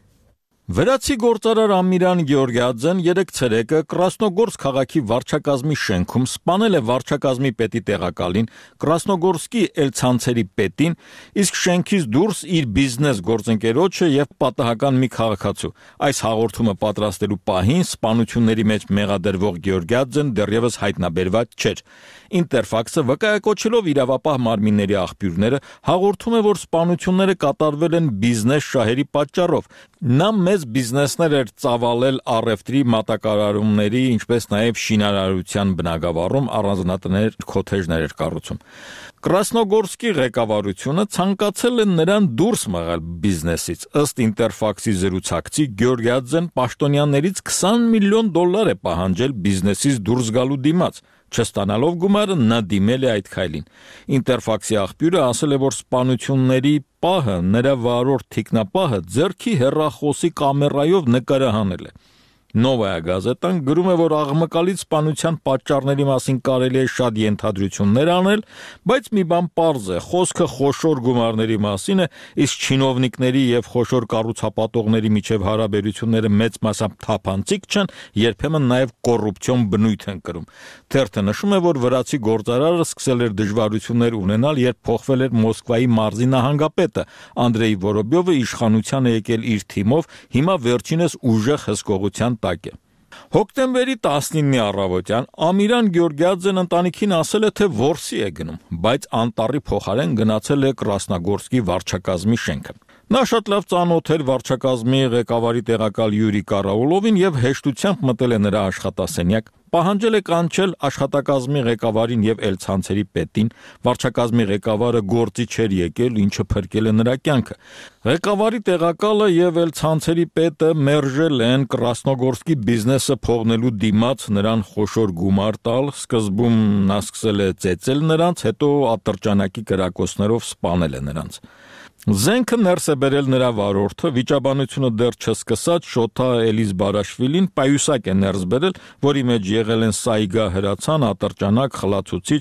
Վրացի գործարար Ամիրան Գյորգիաձեն երեկ ցերեկը Կրասնոգորսկ քաղաքի վարչակազմի շենքում սպանել է վարչակազմի պետի տեղակալին, Կրասնոգորսկի Էլցանցերի պետին, իսկ շենքից դուրս իր բիզնես գործընկերոջը եւ պատահական մի քաղաքացու։ Այս հաղորդումը պատրաստելու պահին սպանությունների մեջ մեղադրվող Գյորգիաձեն դեռևս հայտնաբերված չէր։ Ինտերֆաքսը վկայակոչելով իրավապահ մարմինների աղբյուրները հաղորդում է, որ սպանությունները կատարվել են բիզնես շահերի պատճառով։ Նա մեծ բիզնեսներ էր ծավալել առևտրի մատակարարումների, ինչպես նաև շինարարության բնագավառում առանձնատներ, քոթեջներ էր կառուցում։ Կրասնոգորսկի ղեկավարությունը ցանկացել է նրան դուրս մղել բիզնեսից։ Ըստ Ինտերֆաքսի զրուցակցի Գյորգիաձեն պաշտոնյաներից $20 միլիոն է պահանջել բիզնեսից դուրս գալու դիմաց։ Չստանալով գումարը նա դիմել է այդ քայլին։ Ինտերֆաքսի աղբյուրը ասել է, որ սպանությունների պահը նրա վարորդ թիկնապահը ձեռքի հեռախոսի կամերայով նկարահանել է։ Նովայա գազետան գրում է, որ աղմկալից սպանության պատճառների մասին կարելի է շատ ենթադրություններ անել, բայց մի բան պարզ է, խոսքը խոշոր գումարների մասին է, իսկ չինովնիկների եւ խոշոր կառուցապատողների միջև հարաբերությունները մեծ մասամբ թափանցիկ չեն, երբեմն նաեւ կոռուպցիոն բնույթ են կրում։ Թերթը նշում է, որ վրացի գործարարը սկսել էր դժվարություններ ունենալ, երբ փոխվել էր Մոսկվայի մարզի նահանգապետը Անդրեյ Վորոբյովը իշխանության է եկել իր թիմով, հիմա վերջինս ուժեղ հսկողության տակ է։ Հոկտեմբերի 19-ի առավոտյան Ամիրան Գյորգիաձեն ընտանիքին ասել է, թե որսի է գնում, բայց անտառի փոխարեն գնացել է Կրասնոգորսկի վարչակազմի շենքը։ Նա շատ լավ ծանոթ էր վարչակազմի ղեկավարի տեղակալ Յուրի Կարաուլովին եւ հեշտությամբ մտել է նրա աշխատասենյակ, պահանջել է կանչել աշխատակազմի ղեկավարին եւ Էլցանցերի պետին, վարչակազմի ղեկավարը գործի չէր եկել, ինչը փրկել է նրա կյանքը։ Ղեկավարի տեղակալը եւ Էլցանցերի պետը մերժել են Կրասնոգորսկի բիզնեսը փողնելու դիմաց նրան խոշոր գումար տալ, սկզբում նա սկսել է ծեծել նրանց, հետո ատրճանակի կրակոցներով սպանել է նրանց։ Զենքը ներս է բերել նրա վարորդը, վիճաբանությունը դեռ չսկսած Շոթա Էլիզբարաշվիլին պայուսակ է ներս բերել, որի մեջ եղել են Սայգա հրացան, ատրճանակ, խլացուցիչ։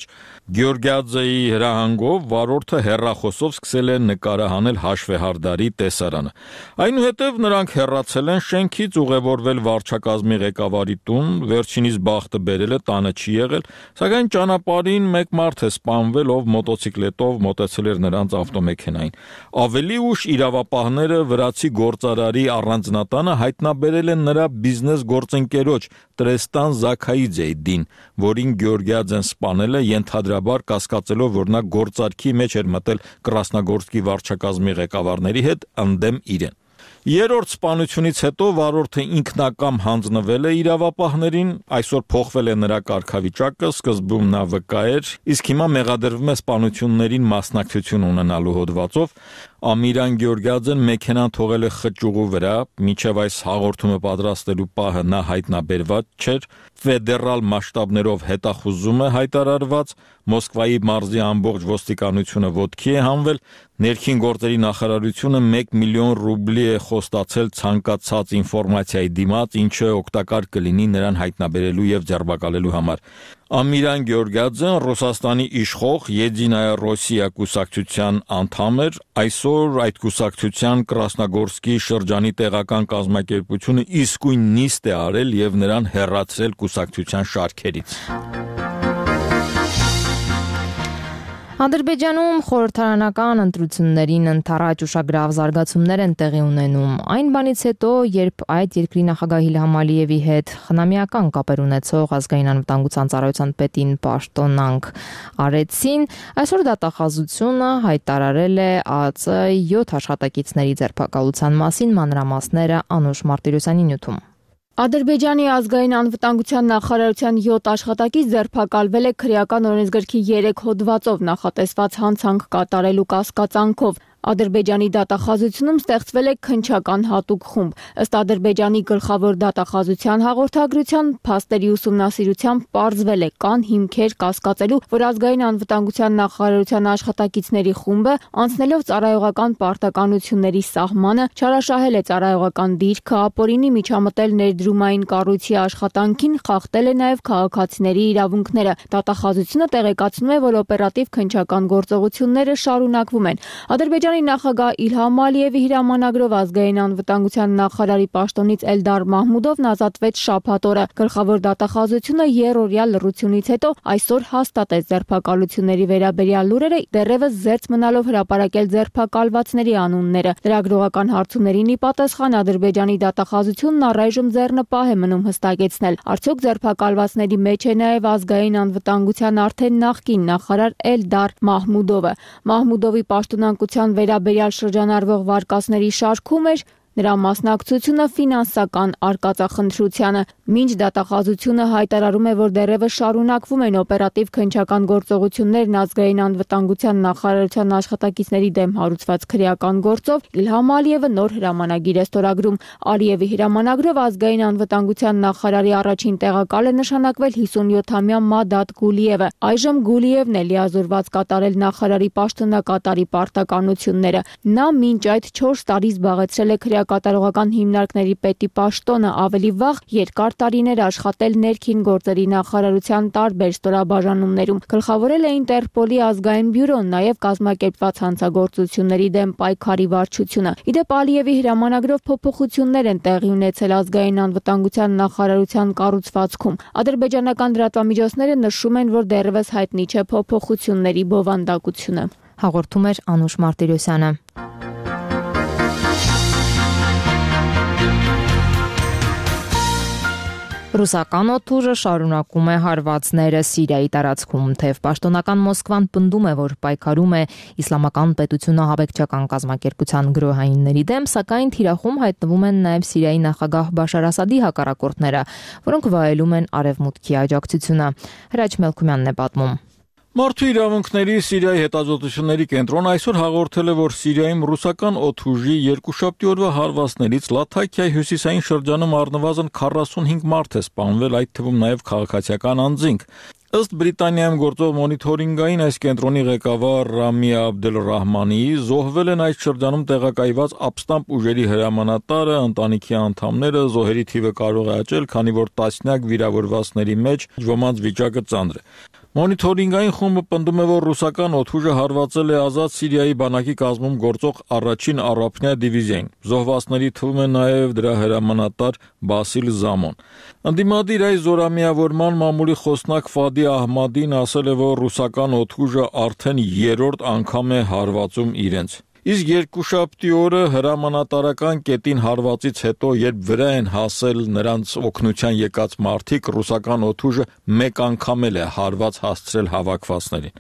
Գյորգիաձեի հրահանգով վարորդը հեռախոսով սկսել է նկարահանել հաշվեհարդարի տեսարանը։ Այնուհետև նրանք հեռացել են շենքից, ուղևորվել վարչակազմի ղեկավարի տուն, վերջինիս բախտը բերել է, տանը չի եղել, սակայն ճանապարհին մեկ մարդ է սպանվել, ով մոտոցիկլետով մոտեցել էր նրանց ավտոմեքենային։ Ավելի ուշ իրավապահները վրացի գործարարի առանձնատանը հայտնաբերել են նրա բիզնես գործընկերոջ Տրեստան Զաքայիձեյդին, որին Գյորգիաձեն սպանել է ենթադրաբար կասկածելով, որ նա գործարքի մեջ էր մտել Կրասնոգորսկի վարչակազմի ղեկավարների հետ ընդդեմ իրեն։ Երրորդ սպանությունից հետո վարորդը ինքնակամ հանձնվել է իրավապահներին, այսօր փոխվել է նրա կարգավիճակը, սկզբում նա վկա էր, իսկ հիմա մեղադրվում է սպանություններին մասնակցություն ունենալու հոդվածով։ Ամիրան Գյորգիաձեն մեքենան թողել է խճուղու վրա, մինչև այս հաղորդումը պատրաստելու պահը նա հայտնաբերված չէր, ֆեդերալ մասշտաբներով հետախուզում է հայտարարված, Մոսկվայի մարզի ամբողջ ոստիկանությունը ոտքի է հանվել, Ներքին գործերի նախարարությունը 1 միլիոն ռուբլի է խոստացել ցանկացած ինֆորմացիայի դիմաց, ինչը օգտակար կլինի նրան հայտնաբերելու եւ ձերբակալելու համար։ Ամիրան Գեորգիադզեն Ռուսաստանի իշխող Եդինայա Ռոսիա կուսակցության անդամ էր, այսօր այդ կուսակցության Կրասնոգորսկի շրջանի տեղական կազմակերպությունը իսկույն նիստ է արել եւ նրան հեռացրել կուսակցության շարքերից։ Ադրբեջանում խորհրդարանական ընտրություններին ընդառաջ ուշագրավ զարգացումներ են տեղի ունենում։ Այն բանից հետո, երբ այդ երկրի նախագահ Իլհամ Ալիևի հետ խնամիական կապեր ունեցող ազգային անվտանգության ծառայության պետին պաշտոնանք արեցին, այսօր դատախազությունը հայտարարել է ԱԱԾ 7 աշխատակիցների ձերբակալության մասին մանրամասները Անուշ Մարտիրոսյանի նյութում։ Ադրբեջանի ազգային անվտանգության նախարարության 7 աշխատակից ձերբակալվել է քրեական օրենսգրքի 3 հոդվածով նախատեսված հանցանք կատարելու կասկածանքով։ Ադրբեջանի դատախազությունում ստեղծվել է քննչական հատուկ խումբ։ Ըստ Ադրբեջանի գլխավոր դատախազության հաղորդագրության փաստերի ուսումնասիրությամբ պարզվել է կան հիմքեր կասկածելու, որ ազգային անվտանգության նախարարության աշխատակիցների խումբը անցնելով ծառայողական պարտականությունների սահմանը չարաշահել է ծառայողական դիրքը, ապօրինի միջամտել ներդրումային կառույցի աշխատանքին, խախտել է նաև քաղաքացիների իրավունքները։ Դատախազությունը տեղեկացնում է, որ օպերատիվ քննչական գործողությունները շարունակվում են։ Ադրբեջանի նախագահ Իլհամ Ալիևի հրամանագրով ազգային անվտանգության նախարարի պաշտոնից Էլդար Մահմուդովն ազատվեց շաբաթ օրը։ Գլխավոր դատախազությունը երրորդյա լռությունից հետո այսօր հաստատեց ձերբակալությունների վերաբերյալ լուրերը, դեռևս զերծ մնալով հրապարակել ձերբակալվածների անունները։ Լրագրողական հարցումներին ի պատասխան Ադրբեջանի դատախազությունն առայժմ ձեռնպահ է մնում հստակեցնել, արդյոք ձերբակալվածների մեջ է նաև ազգային անվտանգության արդեն նախկին նախարար Էլդար Մահմուդովը։ Մահմուդովի պաշտոնակության վերաբերյալ շրջանառվող վարկածների շարքում էր նրա մասնակցությունը ֆինանսական արկածախնդրությանը։ Մինչ դատախազությունը հայտարարում է, որ դեռևս շարունակվում են օպերատիվ քննչական գործողություններն ազգային անվտանգության նախարարության աշխատակիցների դեմ հարուցված քրեական գործով, Իլհամ Ալիևը նոր հրամանագիր է ստորագրում։ Ալիևի հրամանագրով ազգային անվտանգության նախարարի առաջին տեղակալ է նշանակվել 57-ամյա Մադադ Գուլիևը։ Այժմ Գուլիևն է լիազորված կատարել նախարարի պաշտոնակատարի պարտականությունները։ Նա մինչ այդ 4 տարի զբաղեցրել է կատարողական հիմնարկների պետի պաշտոնը, ավելի վաղ երկար տարիներ աշխատել ներքին գործերի նախարարության տարբեր ստորաբաժանումներում, գլխավորել է Ինտերպոլի ազգային բյուրոն, նաև կազմակերպված հանցագործությունների դեմ պայքարի վարչությունը։ Իդեպ Ալիևի հրամանագրով փոփոխություններ են տեղի ունեցել ազգային անվտանգության նախարարության կառուցվածքում։ Ադրբեջանական լրատվամիջոցները նշում են, որ դեռևս հայտնի չէ փոփոխությունների բովանդակությունը։ Հաղորդում էր Անուշ Մարտիրոսյանը։ Ռուսական օդուժը շարունակում է հարվածները Սիրիայի տարածքում, թեև պաշտոնական Մոսկվան պնդում է, որ պայքարում է իսլամական պետությունը հավեկչական կազմակերպության գրոհայինների դեմ, սակայն թիրախում հայտնվում են նաև Սիրիայի նախագահ Բաշար Ասադի հակառակորդները, որոնք վայելում են արևմուտքի աջակցությունը։ Հրաչ Մելքումյանն է պատմում։ Մարդու իրավունքների Սիրիայի հետազոտությունների կենտրոնը այսօր հաղորդել է, որ Սիրիայում ռուսական օդուժի երկուշաբթի օրվա հարվածներից Լաթաքիայի հյուսիսային շրջանում առնվազն 45 մարդ է սպանվել, այդ թվում նաև քաղաքացիական անձինք։ Ըստ Բրիտանիայում գործող մոնիթորինգային այս կենտրոնի ղեկավար Ռամի Աբդելռահմանիի, զոհվել են այդ շրջանում տեղակայված ապստամբ ուժերի հրամանատարը, ընտանիքի անդամները, զոհերի թիվը կարող է աճել, քանի որ տասնյակ վիրավորվածների մեջ ոմանց վիճակը ծանր է։ Մոնիթորինգային խումբը պնդում է, որ ռուսական օդուժը հարվածել է Ազատ Սիրիայի բանակի կազմում գործող առաջին առափնյա դիվիզիային։ Զոհվածների թվում է նաև դրա հրամանատար Բասիլ Զամոն։ Ընդդիմադիր այս զորամիավորման մամուլի խոսնակ Ֆադի Ահմադին ասել է, որ ռուսական օդուժը արդեն երրորդ անգամ է հարվածում իրենց։ Իսկ երկուշաբթի օրը հրամանատարական կետին հարվածից հետո, երբ վրա են հասել նրանց օգնության եկած մարդիկ, ռուսական օդուժը մեկ անգամ էլ է հարված հասցրել հավաքվածներին։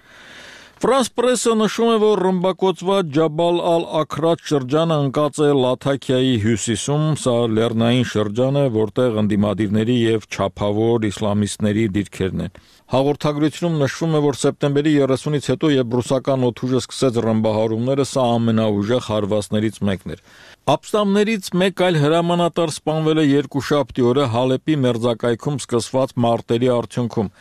Ֆրանս պրեսը նշում է, որ ռմբակոծված Ջաբալ ալ-Աքրաջ շրջանը ընկած է Լաթաքիայի հյուսիսում, սա լեռնային շրջան է, որտեղ ընդդիմադիրների եւ չափավոր իսլամիստների դիրքերն են։ Հաղորդագրությունում նշվում է, որ սեպտեմբերի 30-ից հետո, երբ ռուսական օդուժը սկսեց ռմբահարումները, սա ամենաուժեղ հարվածներից մեկն էր։ Ապստամբներից մեկ այլ հրամանատար սպանվել է երկուշաբթի օրը Հալեպի մերձակայքում սկսված մարտերի արդյունքում։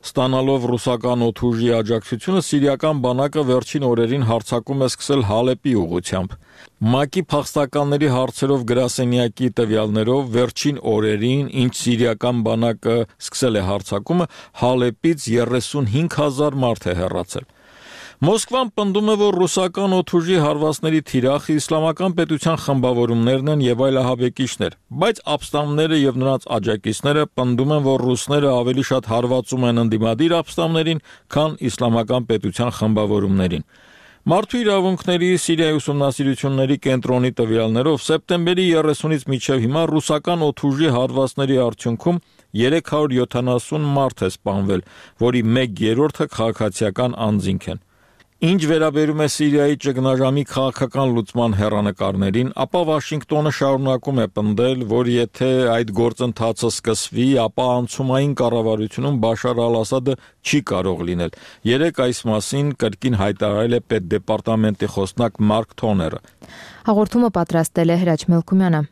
Ստանալով ռուսական օդուժի աջակցությունը, սիրիական բանակը վերջին օրերին հարձակում է սկսել Հալեպի ուղղությամբ։ ՄԱԿ-ի փախստականների հարցերով գրասենյակի տվյալներով վերջին օրերին, ինչ սիրիական բանակը սկսել է հարձակումը, Հալեպից 35,000 մարդ է հեռացել։ Մոսկվան պնդում է, որ ռուսական օդուժի հարվածների թիրախը իսլամական պետության խմբավորումներն են եւ այլ ահաբեկիչներ, բայց ապստամբները եւ նրանց աջակիցները պնդում են, որ ռուսները ավելի շատ հարվածում են ընդդիմադիր ապստամբներին, քան իսլամական պետության խմբավորումներին։ Մարդու իրավունքների Սիրիայի ուսումնասիրությունների կենտրոնի տվյալներով սեպտեմբերի 30-ից մինչև հիմա ռուսական օդուժի հարվածների արդյունքում 370 մարդ է սպանվել, որի 1/3-ը քաղաքացիական անձինք են։ Ինչ վերաբերում է Սիրիայի ճգնաժամի քաղաքական լուծման հեռանկարներին, ապա Վաշինգտոնը շարունակում է պնդել, որ եթե այդ գործընթացը սկսվի, ապա անցումային կառավարությունում Բաշար al-Ասադը չի կարող լինել։ Երեկ այս մասին կրկին հայտարարել է պետդեպարտամենտի խոսնակ Մարկ Թոները։ Հաղորդումը պատրաստել է Հրաչ Մելքումյանը։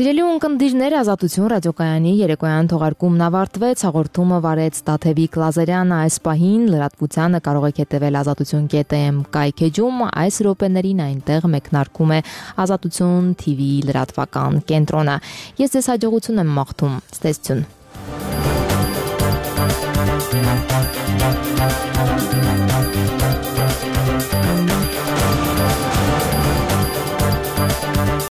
Սիրելի ունկնդիրներ, Ազատություն ռադիոկայանի երեկոյան թողարկումն ավարտվեց, հաղորդումը վարեց Տաթևիկ Լազարյանը, այս պահին լրատվությանը կարող եք հետևել azatutun.am կայքեջում, այս րոպեներին այնտեղ մեկնարկում է Ազատություն TV լրատվական կենտրոնը։ Ես ձեզ հաջողություն եմ մաղթում, ցտեսություն։